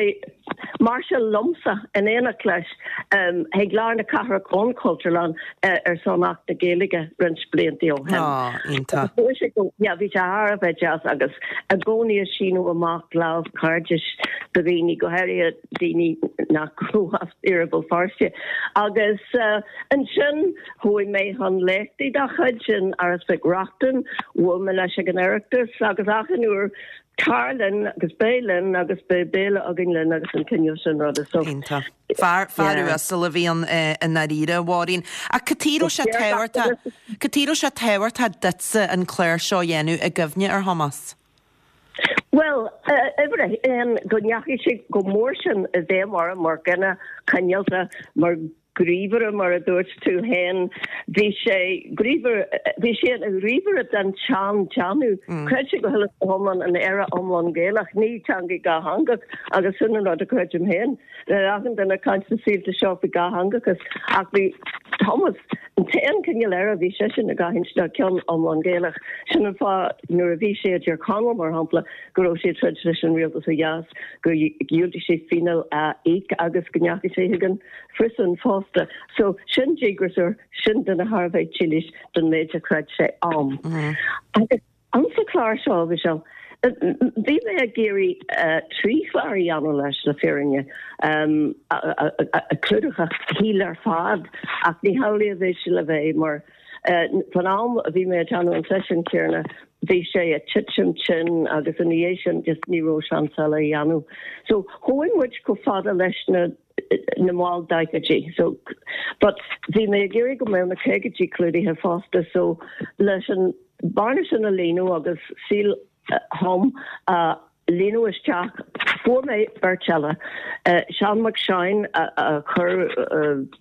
máirseáil liomsa in éineacht leis chuig lár na cathrach ón Chultúrlann ar son Acht na Gaeilge roinnt blianta ó shin. Á, iontach. Bhí sé go, yeah, bhí sé thar a bheith deas agus i gcónaí ag síniú amach lámh cairdis do dhaoine, go háirithe daoine nach raibh as iarthar Bhéal Feirste. Agus ansin chuaigh mé chun léachtaí dá chuid in Áras Mhic Reachtain, bhuail mé leis ag an Oireachtas agus achan uair tar linn agus beidh linn agus beidh béile againn linn agus an cineál sin ruda. So, Iontach. Fear, fear uasal a bhí ann i ndáiríre, a Mháirín. Ach cad chuige a raibh sé tábhachtach, cad chuige a raibh sé tábhachtach duitse an clár seo a dhéanamh i gcuimhne ar Thomás? Bhuel, uimhir a haon, go ndeachaigh sé chomh mór sin i bhfeidhm orm mar dhuine cineálta, mar ghníomhaire, mar a dúirt tú féin. Bhí sé gníomhaire, bhí sé ina ghníomhaire den tsean-déanamh. Chreid sé go huile is go hiomlán in Éire iomlán Gaelach, ní teanga dhátheangach, agus sin an rud a chreidim féin. Le achan duine ag caint sna saolta seo faoi dhátheangachas, ach bhí Thomas, an t-aon chineál Éire a bhí seisean ag aithint ná ceann iomlán Gaelach. Sin an fáth nuair a bhí sé i dTír Chonaill, mar shampla, go raibh sé ag troid leis an rialtas ó dheas, gur dhiúltaigh sé fíneáil a íoc agus go ndeachaigh sé chuig an phriosún fosta. So, sin díograiseoir, sin duine thar a bheith dílis don méid a chreid sé ann. Agus Insa chlár seo, Michelle, bhí mé ag iarraidh trí chlár a dhéanamh leis, le fírinne, a chlúdódh a shaol ar fad, ach ní hamhlaidh a bhí sé le bheith, mar fan am a bhí mé ag déanamh an seisiún céanna, bhí sé ag titim tinn agus ina dhiaidh sin just ní raibh seans eile a dhéanamh. So chuaigh muid chomh fada leis na na mall daichidí. So but bhí mé ag iarraidh go mbeadh na caogaidí clúdaithe fosta so leis an bearna sin a líonadh agus saol Thom a líonadh isteach fuair mé beirt eile, Seán Mac Seáin a chuir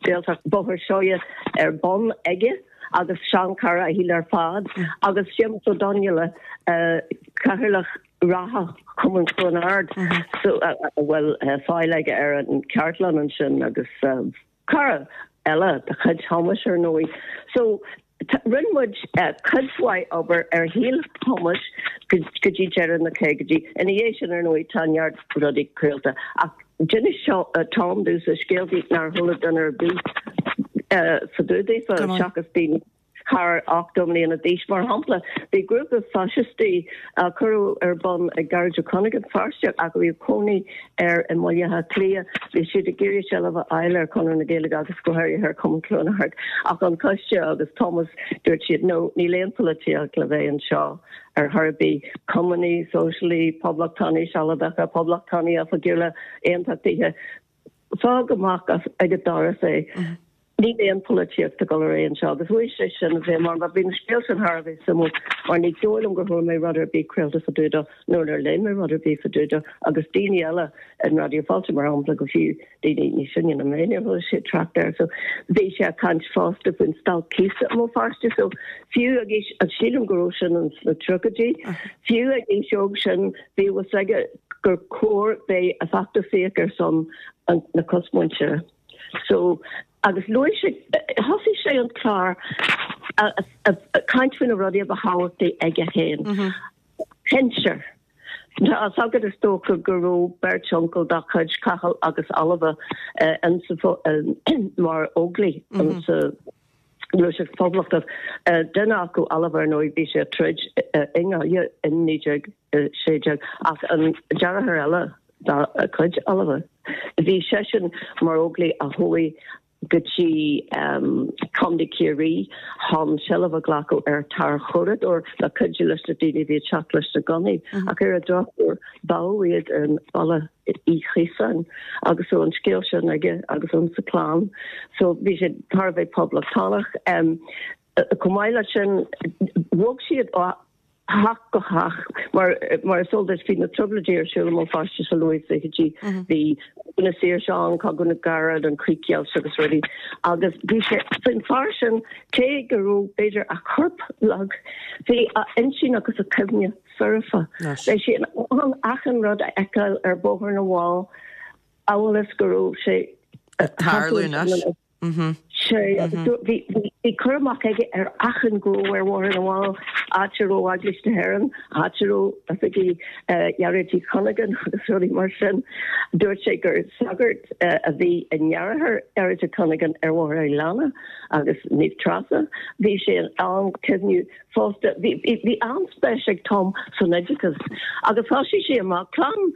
Gaeltacht Bhóthar Seoighe ar bun aige agus seanchara a shaoil ar fad agus Séamus Ó Donnghaile, Cathaoirleach reatha Chumann Chluain Ard so a bhfuil fáil aige ar an chartlann ansin agus cara eile de chuid Thomáis ar ndóigh. So rinne muid cuid mhaith obair ar shaol Thomáis go dtí deireadh na caogaidí. Ina dhiaidh sin ar ndóigh tá neart rudaí craolta ach d'inis Tom domhsa scéaltaí nár chuala duine ar bith fá dtaobh daofa seachas daoine thar ochtó mbliana d'aois. Mar shampla, bhí grúpa faisistí a cuireadh ar bun ag Gearóid Ó Cuinneagáin, Feirsteach, ach a bhí cónaí air i mBaile Átha Cliath. Bhí siad ag iarraidh seilbh a fháil ar Chonradh na Gaeilge agus go háirithe ar Chumann Chluain Ard. Ach an coiste agus Thomas, dúirt siad, no, níl aon pholaitíocht le bheith anseo ar chor ar bith. Cumannaigh, Sóisialaigh, Poblachtánaigh Sealadacha, Poblachtánaigh Oifigiúla, Aontachtaithe, fág amach as ag an doras é. Níl aon pholaitíocht ag dul ar aghaidh anseo agus chuaigh sé sin i bhfeidhm orm. Bhí an scéal sin thar a bheith suimiúil mar ní dóigh liom gur chuala mé rud ar bith craolta fá dtaobh dó nó nár léigh mé rud ar bith fá dtaobh dó agus daoine eile in Raidió Fáilte mar shampla go fiú daoine níos sine ná mé níor chuala siad trácht air. So bhí sé ag caint fosta faoin stailc cíosa i mBéal Feirste so fiú ag aois agus sílim go raibh sin ins na tríochaidí fiú ag aois óg sin bhí a fhios aige gur chóir bheith ag feachtasaíocht ar son na cosmhuintire. So, agus luaigh sé, thosaigh sé an clár ag caint faoi na rudaí a ba thábhachtaí aige féin. Shinsir. Tá a fhios agat is dócha go raibh beirt uncail dá chuid, Cathal agus Ailbhe, insa, mar Óglaigh insa Ghluaiseacht Phoblachtach. Duine acu, Ailbhe, ar ndóigh, bhí sé ag troid i nGaillimh in naoi déag a sé déag ach an deartháir eile, dá chuid, Ailbhe. Bhí seisean mar Óglaigh a chuaigh go dtí Contae Chiarraí chun seilbh a ghlacadh ar tarchuradóir le cuidiú leis na daoine a bhí ag teacht leis na gunnaí ach ar an drochuair bádh iad i mBaile Uí Chiosáin agus so an scéal sin aige agus an sa clann so bhí sé thar a bheith poblachtánach. Chomh maith leis sin bhog siad ó theach go theach mar mar is eol duit bhí na trioblóidí ar siúl i mBéal Feirste sa luath fichidí bhí Cogadh na Saoirse ann, Cogadh na gCarad, an Chríochdheighilt agus rudaí agus bhí sé an fear sin cé go raibh b'fhéidir a chorp lag bhí a intinn agus a chuimhne foirfe. Bhí sé in ann achan rud a fheiceáil ar Bhóthar na bhFál amhail is go raibh sé ag tarlú anois. Sé, agus bhí cur amach aige ar achan ghnó ar Bhóthar na bhFál, áit a raibh Eaglais na hÉireann, áit a raibh oifigí Ghearóid Uí Chuinneagáin agus rudaí mar sin. Dúirt sé gur sagart a bhí i ndeartháir Ghearóid Uí Chuinneagáin ar Bhóthar Aileana agus Naomh Treasa. Bhí sé in ann cuimhniú fosta. Bhí an-spéis ag Tom san oideachas agus thosaigh sé amach. Clann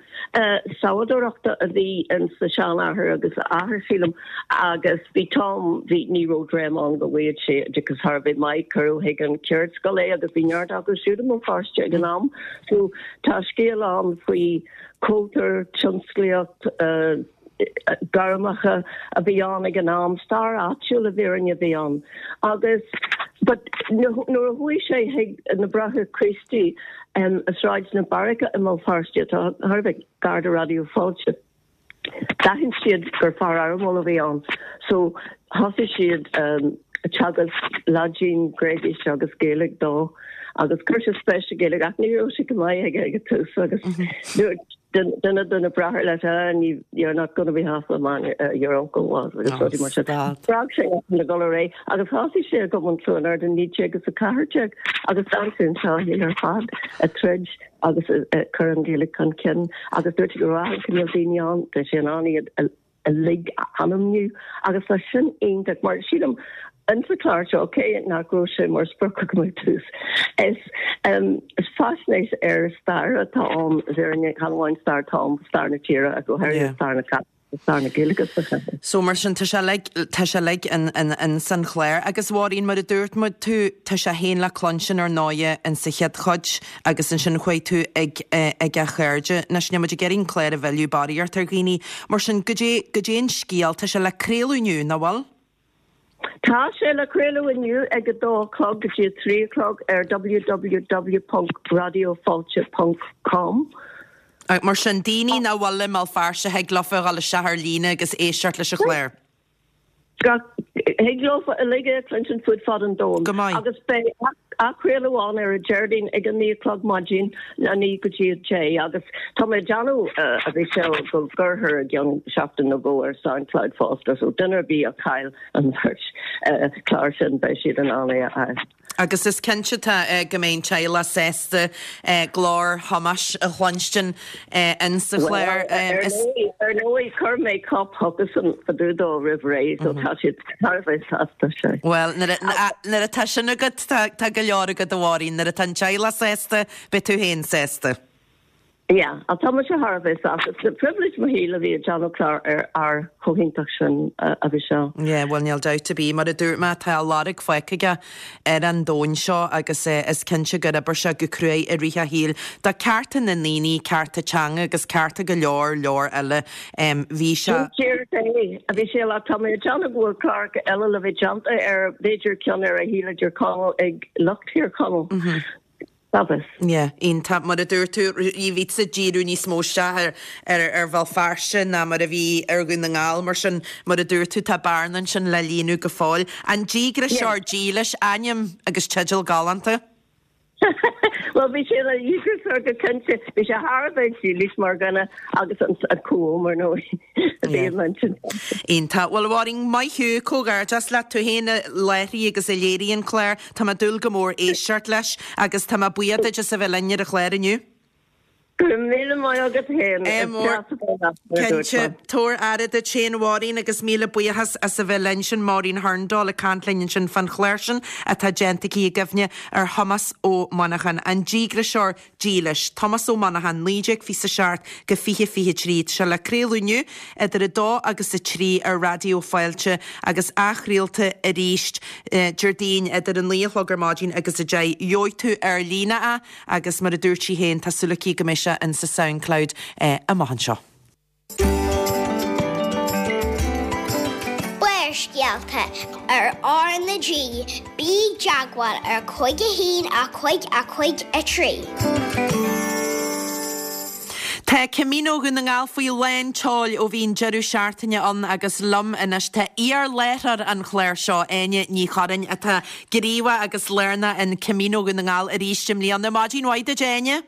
sabhadóireachta a bhí in sa seanathair agus a athair, sílim, agus bhí Tom, bhí, ní raibh dream ann go bhfaigheadh sé oideachas thar a bheith maith, cuireadh chuig an cheardscoil é agus bhí neart acu siúd i mBéal Feirste ag an am. So tá scéal ann faoi chultúr, tionsclaíocht, gairmeacha a bhí ann ag an am, stair áitiúil i bhfírinne a bhí ann. Agus but nuair a chuaigh sé chuig na Bráithre Críostaí i Sráid na Beairice i mBéal Feirste, atá thar a bheith gar do Raidió Fáilte, d'aithin siad gur fear éirimiúil a bhí ann. So thosaigh siad ag teagasc Laidin, Gréigis agus Gaeilge dó agus chuir sé spéis sa Ghaeilge ach ní raibh sé go maith aige ag an tús agus dúirt duine de na bráithre leis, ah, you're not gonna be half the man your uncle was agus rudaí mar sin. Spreag sé le dul ar aghaidh agus thosaigh sé i gCumann Chluain Ard i naoi déag is a ceathair déag agus d'fhan sé anseo a shaol ar fad ag troid agus ag cur an Ghaeilge chun cinn agus dúirt sé go raibh achan cineál daoine ann, bhí sé in ann iad uilig a ainmniú agus tá sin iontach mar sílim insa chlár seo, cé nach raibh sé mar sprioc agam ar dtús, is is faisnéis ar stair atá ann, i bhfírinne, chan amháin stair Tom, stair na tíre ach go háirithe stair na cathrach agus stair na Gaeilge sa chathair. So mar sin tá sé uilig, tá sé uilig in, in, in san chlár. Agus Mháirín, mar a dúirt muid tú, tá sé féin le cluinstin ar ndóighe in sa chéad chuid agus ansin chuaigh tú ag, ag a chairde. Anois níl muid ag iarraidh an clár a mhilleadh, barraíocht ar dhaoine. Mar sin, goidé, goidé an scéal, tá sé le craoladh inniu, nach bhfuil? Tá sé le craoladh inniu ag a dó a chlog go dtí a trí a chlog ar www ponc raidiofáilte ponc com. Mar sin, daoine nach bhfuil i mBéal Feirste, thig leofa a dhul isteach ar líne agus éisteacht leis an chlár. Thig leofa uilig é a chluinstin fud fad an domhain. Go maith. Agus beidh athchraoladh ann ar an Déardaoin ag a naoi a chlog maidin, a naoi go dtí a deich, agus tá mé ag déanamh, a Mhichelle, go gcuirfear i gceann seachtain nó dhó ar Soundcloud fosta, so duine ar bith a chaill an bheirt chlár sin, beidh siad in ann é a fháil. Agus is cinnte tá go mbeidh an teaghlach sásta glór Thomáis a chluinstin in sa chlár. Ar ndóigh, chuir mé cóip chucusan fá dtaobh dó roimh ré, so tá siad thar a bheith sásta, sea. Bhuel, nuair atá sin agat, tá go leor agat, a Mháirín. Nuair atá an teaghlach sásta, beidh tú féin sásta. Yeah, ach tá mise thar a bheith sásta. Is pribhléid mo shaoil a bhí ag déanamh clár ar fhear chomh hiontach sin, a Mhichelle. Yeah, bhuel níl dabht ar bith, mar a dúirt mé, tá a lorg fágtha aige ar an domhan seo agus is cinnte gur oibir sé go cruaidh i rith a shaoil do cearta na ndaoine, cearta teanga agus cearta go leor, leor eile. Bhí sé. Sin fíor é, a Mhichelle, ach tá mé ag déanamh go bhfuil cláracha eile le bheith déanta air, b'fhéidir ceann ar a shaol i dTír Chonaill ag lucht Thír Chonaill. Agus. Yeah, iontach. Mar a dúirt tú, bhí tusa ag díriú níos mó isteach ar ar ar Bhéal Feirste ná mar a bhí ar Dhún na nGall, mar sin, mar a dúirt tú, tá bearna ansin le líonadh go fóill. An Díograiseoir Dílis, ainm agus teideal galánta. Bhuel, bhí sé ina dhíograiseoir go cinnte. Bhí sé thar a bheith dílis mar dhuine agus an Cúm, ar ndóigh, a bhí i m'intinn. Iontach. Bhuel, a Mháirín, maith thú, comhghairdeas leat, tú féin a láithrigh agus a léirigh an clár. Tá mé ag dúil go mór éisteacht leis agus tá mé buíoch duit as a bheith linn ar an chlár inniu. Go raibh míle maith agat féin. Is deas a bheith leat, mar a dúirt Cinnte. mé. Tabhair aire duit féin, a Mháirín, agus míle buíochas as a bheith linn. Sin Máirín Hurndall ag caint linn ansin fán chlár sin atá déanta aici i gcuimhne ar Thomás Ó Monacháin, an díograiseoir dílis. Tomás Ó Monacháin, naoi déag fiche a seacht go fiche fiche trí. Tá sé le craoladh inniu idir a dó agus a trí ar Raidió Fáilte agus athchraolta arís Déardaoin idir a naoi a chlog ar maidin agus a deich. Gheobhaidh tú ar líne é agus mar a dúirt sí féin, tá súil aici go mbeidh sé in sa Soundcloud amach anseo. Barrscéalta ar R na G, bí i dteagmháil ar cúig a haon a cúig a cúig a trí. Tá Camino Dhún na nGall faoi lán tseoil ó bhí an deireadh seachtaine ann agus liom anois tá iar-láithreoir an chláir seo, Áine Ní Churraoin, atá gníomhach agus lárnach in Camino Dhún na nGall arís i mbliana. Maidin mhaith duit, Áine.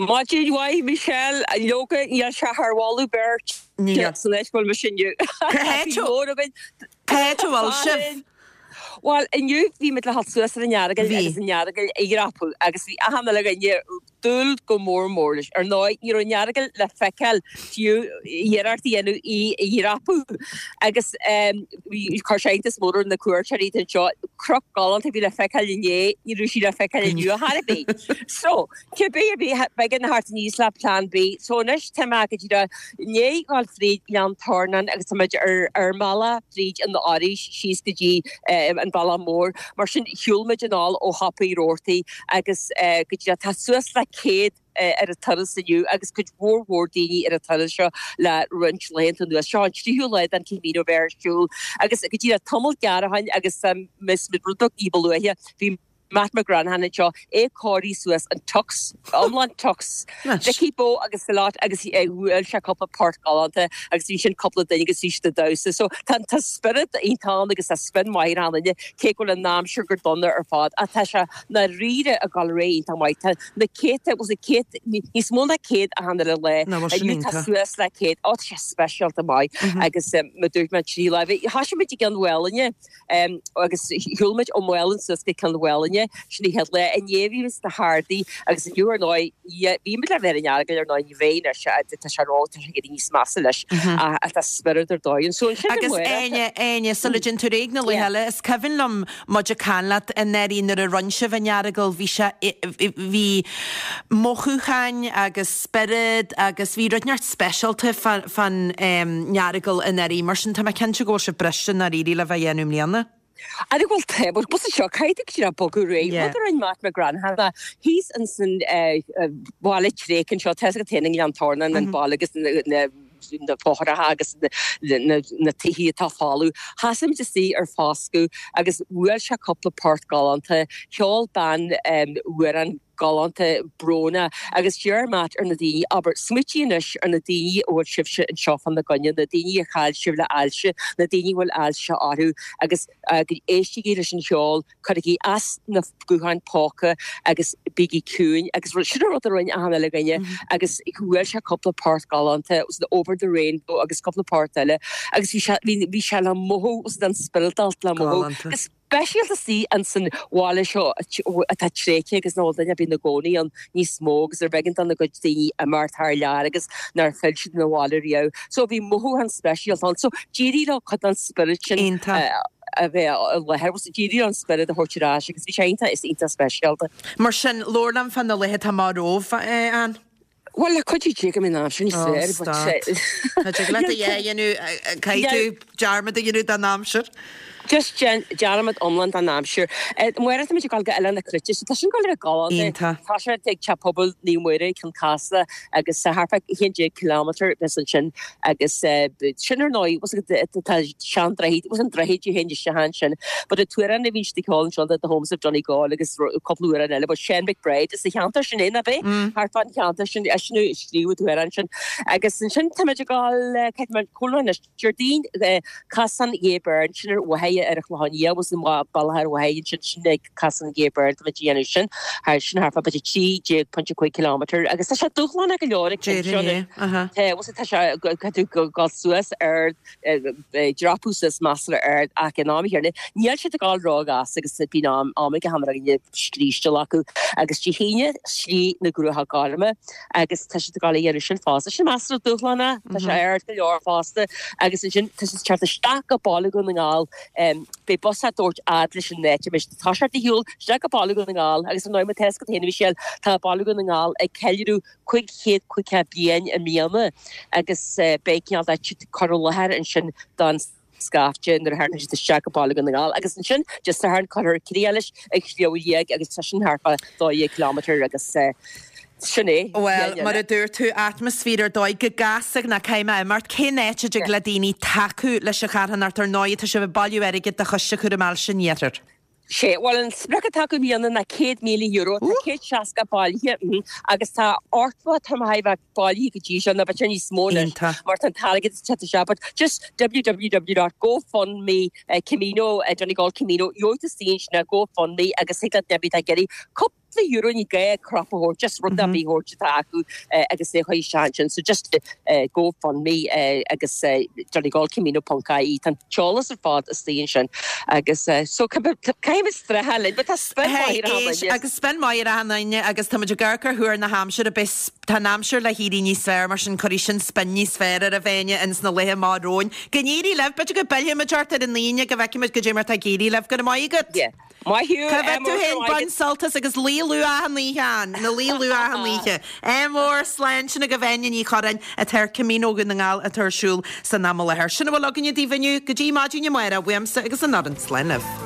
Maidin mhaith, Michelle. Leoga, níl sé thar mholadh beirte san áit a bhfuil mise inniu. Cá háit a bhfuil sibh? Bhuel, inniu bhí muid le dhul suas ar an Earagail agus an Earagail a dhreapadh agus bhí achan uile dhuine ag dúil go mór mór leis. Ar ndóigh, ní raibh an Earagail le feiceáil fiú iarracht a dhéanamh í a dhreapadh agus chuir sé iontas mór ar na cuairteoirí anseo. Cnoc galánta a bhí le feiceáil inné, ní raibh sí le feiceáil inniu ar chor ar bith. So, cibé ar bith, b'éigean a theacht aníos le plean B. So anois tá mé go díreach i ndiaidh dhul fríd Ghleann Tornáin agus tá muid ar ar an mbealach fríd an Fhoraois síos go dtí an bealach mór. Mar sin, shiúil muid anall ó Shiopa Uí Robhartaigh agus go díreach tá suas le céad ar an turas inniu agus cuid mhór mhór daoine ar an turas seo le roinnt laethanta anuas. Seo an tríú lá den Camino bheith ar siúl agus go díreach tamall gearr ó shin agus mé rud beag ní ba luaithe bhí Matt McGranaghan anseo, é ag cóiriú suas an tux, iomlán tux, Dickie Bow agus the lot agus bhuail sé cúpla port galánta agus bhí sin cúpla duine agus bhí siad ag damhsa. So tá tá spiorad iontach ann agus tá spion maith ar achan duine cé go bhfuil an aimsir go dona ar fad ach tá sé ndáiríre ag dul ar aghaidh iontach maith. Tá na céadta, bhuel na céad, níos mó ná céad achan uile lá. Ná bhfuil sin Inniu tá iontach. suas le céad. Ó tá sé speisialta maith agus mar a dúirt mé trí lá. Bhí, thosaigh muid i gCionn Mhálanna agus shiúil muid ó Mhálainn suas go Cionn Mhálanna, sin an chéad lá. Inné bhí muid sna hArdaí agus inniu ar ndóigh, bhí muid le bheith ar an Earagail ar ndóigh, ní bheidh anois, tá sé ró, tá sé ag éirí níos measa leis ach tá spiorad ar dóigh ann. So ansin Agus Áine, Áine, sula dtéann tú ar aghaidh na laetha eile, is cuimhin liom muid ag caint leat anuraidh nuair a rinne sibh an Earagail, bhí sé, bhí mothúcháin agus spiorad agus bhí rud inteacht speisialta fán Earagail anuraidh, mar sin tá mé cinnte go bhfuil sibh briste i ndáiríre le bheith á dhéanamh i mbliana. Ara bhuel tá, but bus seo caithfidh tú bogadh ar aghaidh. Rud a rinne Matt McGranaghan ná thíos ins an bhaile tréigthe anseo, tá a fhios agat féin i nGleann Tornáin an baile agus na na fothracha agus na tithe atá folamh. Thosaigh muid istigh ar foscadh agus bhuail sé cúpla port galánta, cheol bean amhrán galánta brónach agus d'iarr Matt ar na daoine, abair, smaoitigh anois ar na daoine a bhfuil sibhse anseo fána gcoinne, na daoine a chaill sibh le hailse, na daoine a bhfuil ailse orthu agus éistigí leis an cheol, cuirigí as na gutháin póca agus bígí ciúin agus sin an rud a rinne achan uile dhuine agus bhuail sé cúpla port galánta, was it Over the Rainbow agus cúpla port eile agus bhí sé, bhí sé le mothú, was it an spioradáltacht le mothú. Agus speisialta istigh ins an bhaile seo atá tréigthe agus nach bhfuil duine ar bith ina gcónaí ann níos mó agus ar b'éigean dona gcuid daoine imeacht thar lear agus nár phill siad 'na bhaile riamh. So bhí mothúchán speisialta ann. So d'éirigh leo cuid den spiorad sin a bheith i láthair. So d'éirigh leo an spiorad a thabhairt ar ais agus bhí sé iontach, is iontach speisialta. Mar sin, labhair liom fá na laetha atá amach romhaibh, Ann. Bhuel, le cuidiú Dé go mbeidh an aimsir níos Ó, fearr, but stop. Tá sé leat a dhéanamh, caithfidh tú dearmad a dhéanamh den aimsir. Just déan dearmad iomlán den aimsir. Amárach táimid ag dul go Oileán na Cruite, so tá sin ag dul a bheith galánta. Iontach. Tá sé ag Teach Pobail Naomh Muire, Cionn Caslach agus thart fá a haon déag kilometre bheas ansin agus sin ar ndóigh, bhfuil a fhios agat, tá sean-droichead, bhfuil an droichead a théann isteach ansin, but an t-amhrán a bhíonn siad ag ceol anseo, The Homes of Donegal agus cúpla amhrán eile, but Seán McBride, is sa cheantar sin é, nach é? Thart fán cheantar sin, eisean a scríobh an t-amhrán sin. Agus ansin táimid ag dul, caithfidh mé cúlra anois, Déardaoin, Casán Gay Byrne, sin ar Mhachaire Mhaighe ar an Chlochán Liath agus an bealach ar Mhaighe ansin sin ag Casadh na gCéad Bord muid a dhéanamh sin thar sin thart fá b'fhéidir trí déag pointe cúig kilometre agus tá sé dúshlánach go leor ag Déarfainn é, aha. Tá bhfuil tá sé caithfidh tú dul suas ar dreapadh suas measartha ard ach in am chéanna níl siad ag dul róghasta agus bíonn am am ag achan duine scrísteáil acu agus Dé hAoine Slí na gCruacha Gorma agus tá siad ag dul a dhéanamh sin fosta. Sin measartha dúshlánach, tá sé ard go leor fosta agus ansin tá siad ag teacht isteach go Baile Dhún na nGall beidh bus á dtabhairt fhad leis an áit a mbeidh siad ag toiseacht ar shiúl isteach go Baile Dhún na nGall agus ar ndóigh mar tá fhios agat féin a Mhichelle tá Baile Dhún na nGall ag ceiliúradh cúig chéad caoga bliain i mbliana agus beidh cineál de cur i láthair ansin don scaifte nuair a thagann siad isteach go Baile Dhún na nGall agus ansin Dé Sathairn cuirfear críoch leis ag Sliabh Liag agus tá sin thart fá dó dhéag kilometre agus sin é. Bhuel, mar a dúirt tú, atmaisféar ar dóigh go gasta ná caithfidh mé imeacht. Cén áit a dtig le daoine tacú leis an charthanacht ar ndóigh tá sibh ag bailiú airgid do Choiste Chúram Ailse an Iarthair. Sé, bhuel an sprioc atá acu i mbliana ná céad míle euro, tá céad seasca bailithe agus tá ochtó atá mar a bheith bailithe go dtí seo, nó b'fhéidir níos mó anois mar tá an t-airgead ag teacht isteach, but just www dot gofundme Camino Donegal Camino, gheobhaidh tú istigh ansin ar GoFundMe agus thig leat duine ar bith atá ag iarraidh cúpla cúpla euro ní gá crap a thabhairt, just rud ar bith a thabhairt atá acu agus é a chur isteach ansin. So just GoFundMe agus Donegal Camino ponc ie, tá an t-eolas ar fad istigh ansin agus so caithfimid streachailt linn, but tá spin maith ar achan duine. Agus spin maith ar achan duine agus tá muid ag amharc ar thuar na haimsire, beidh, tá an aimsir le héirí níos fearr mar sin cuirfidh sin spin níos fearr ar an bhfáinne ins na laetha amach romhainn. Go n-éirí libh, b'fhéidir go bpillfimid ort ar an Aoine go bhfeicfimid goidé mar tá ag éirí libh. Go raibh maith agat. Yeah. Maith thú, Cá bhfead tú féin, bain sult as agus luí luath achan oíche Ann, na luí luath achan oíche. Ádh mór, slán, sin agaibh Áine Ní Churráin atá ar Camino Dhún na nGall atá ar siúl san am i láthair. Sin a bhfuil againne daoibh inniu, go dtí maidin amárach, uaimse agus an fhoireann, slán libh.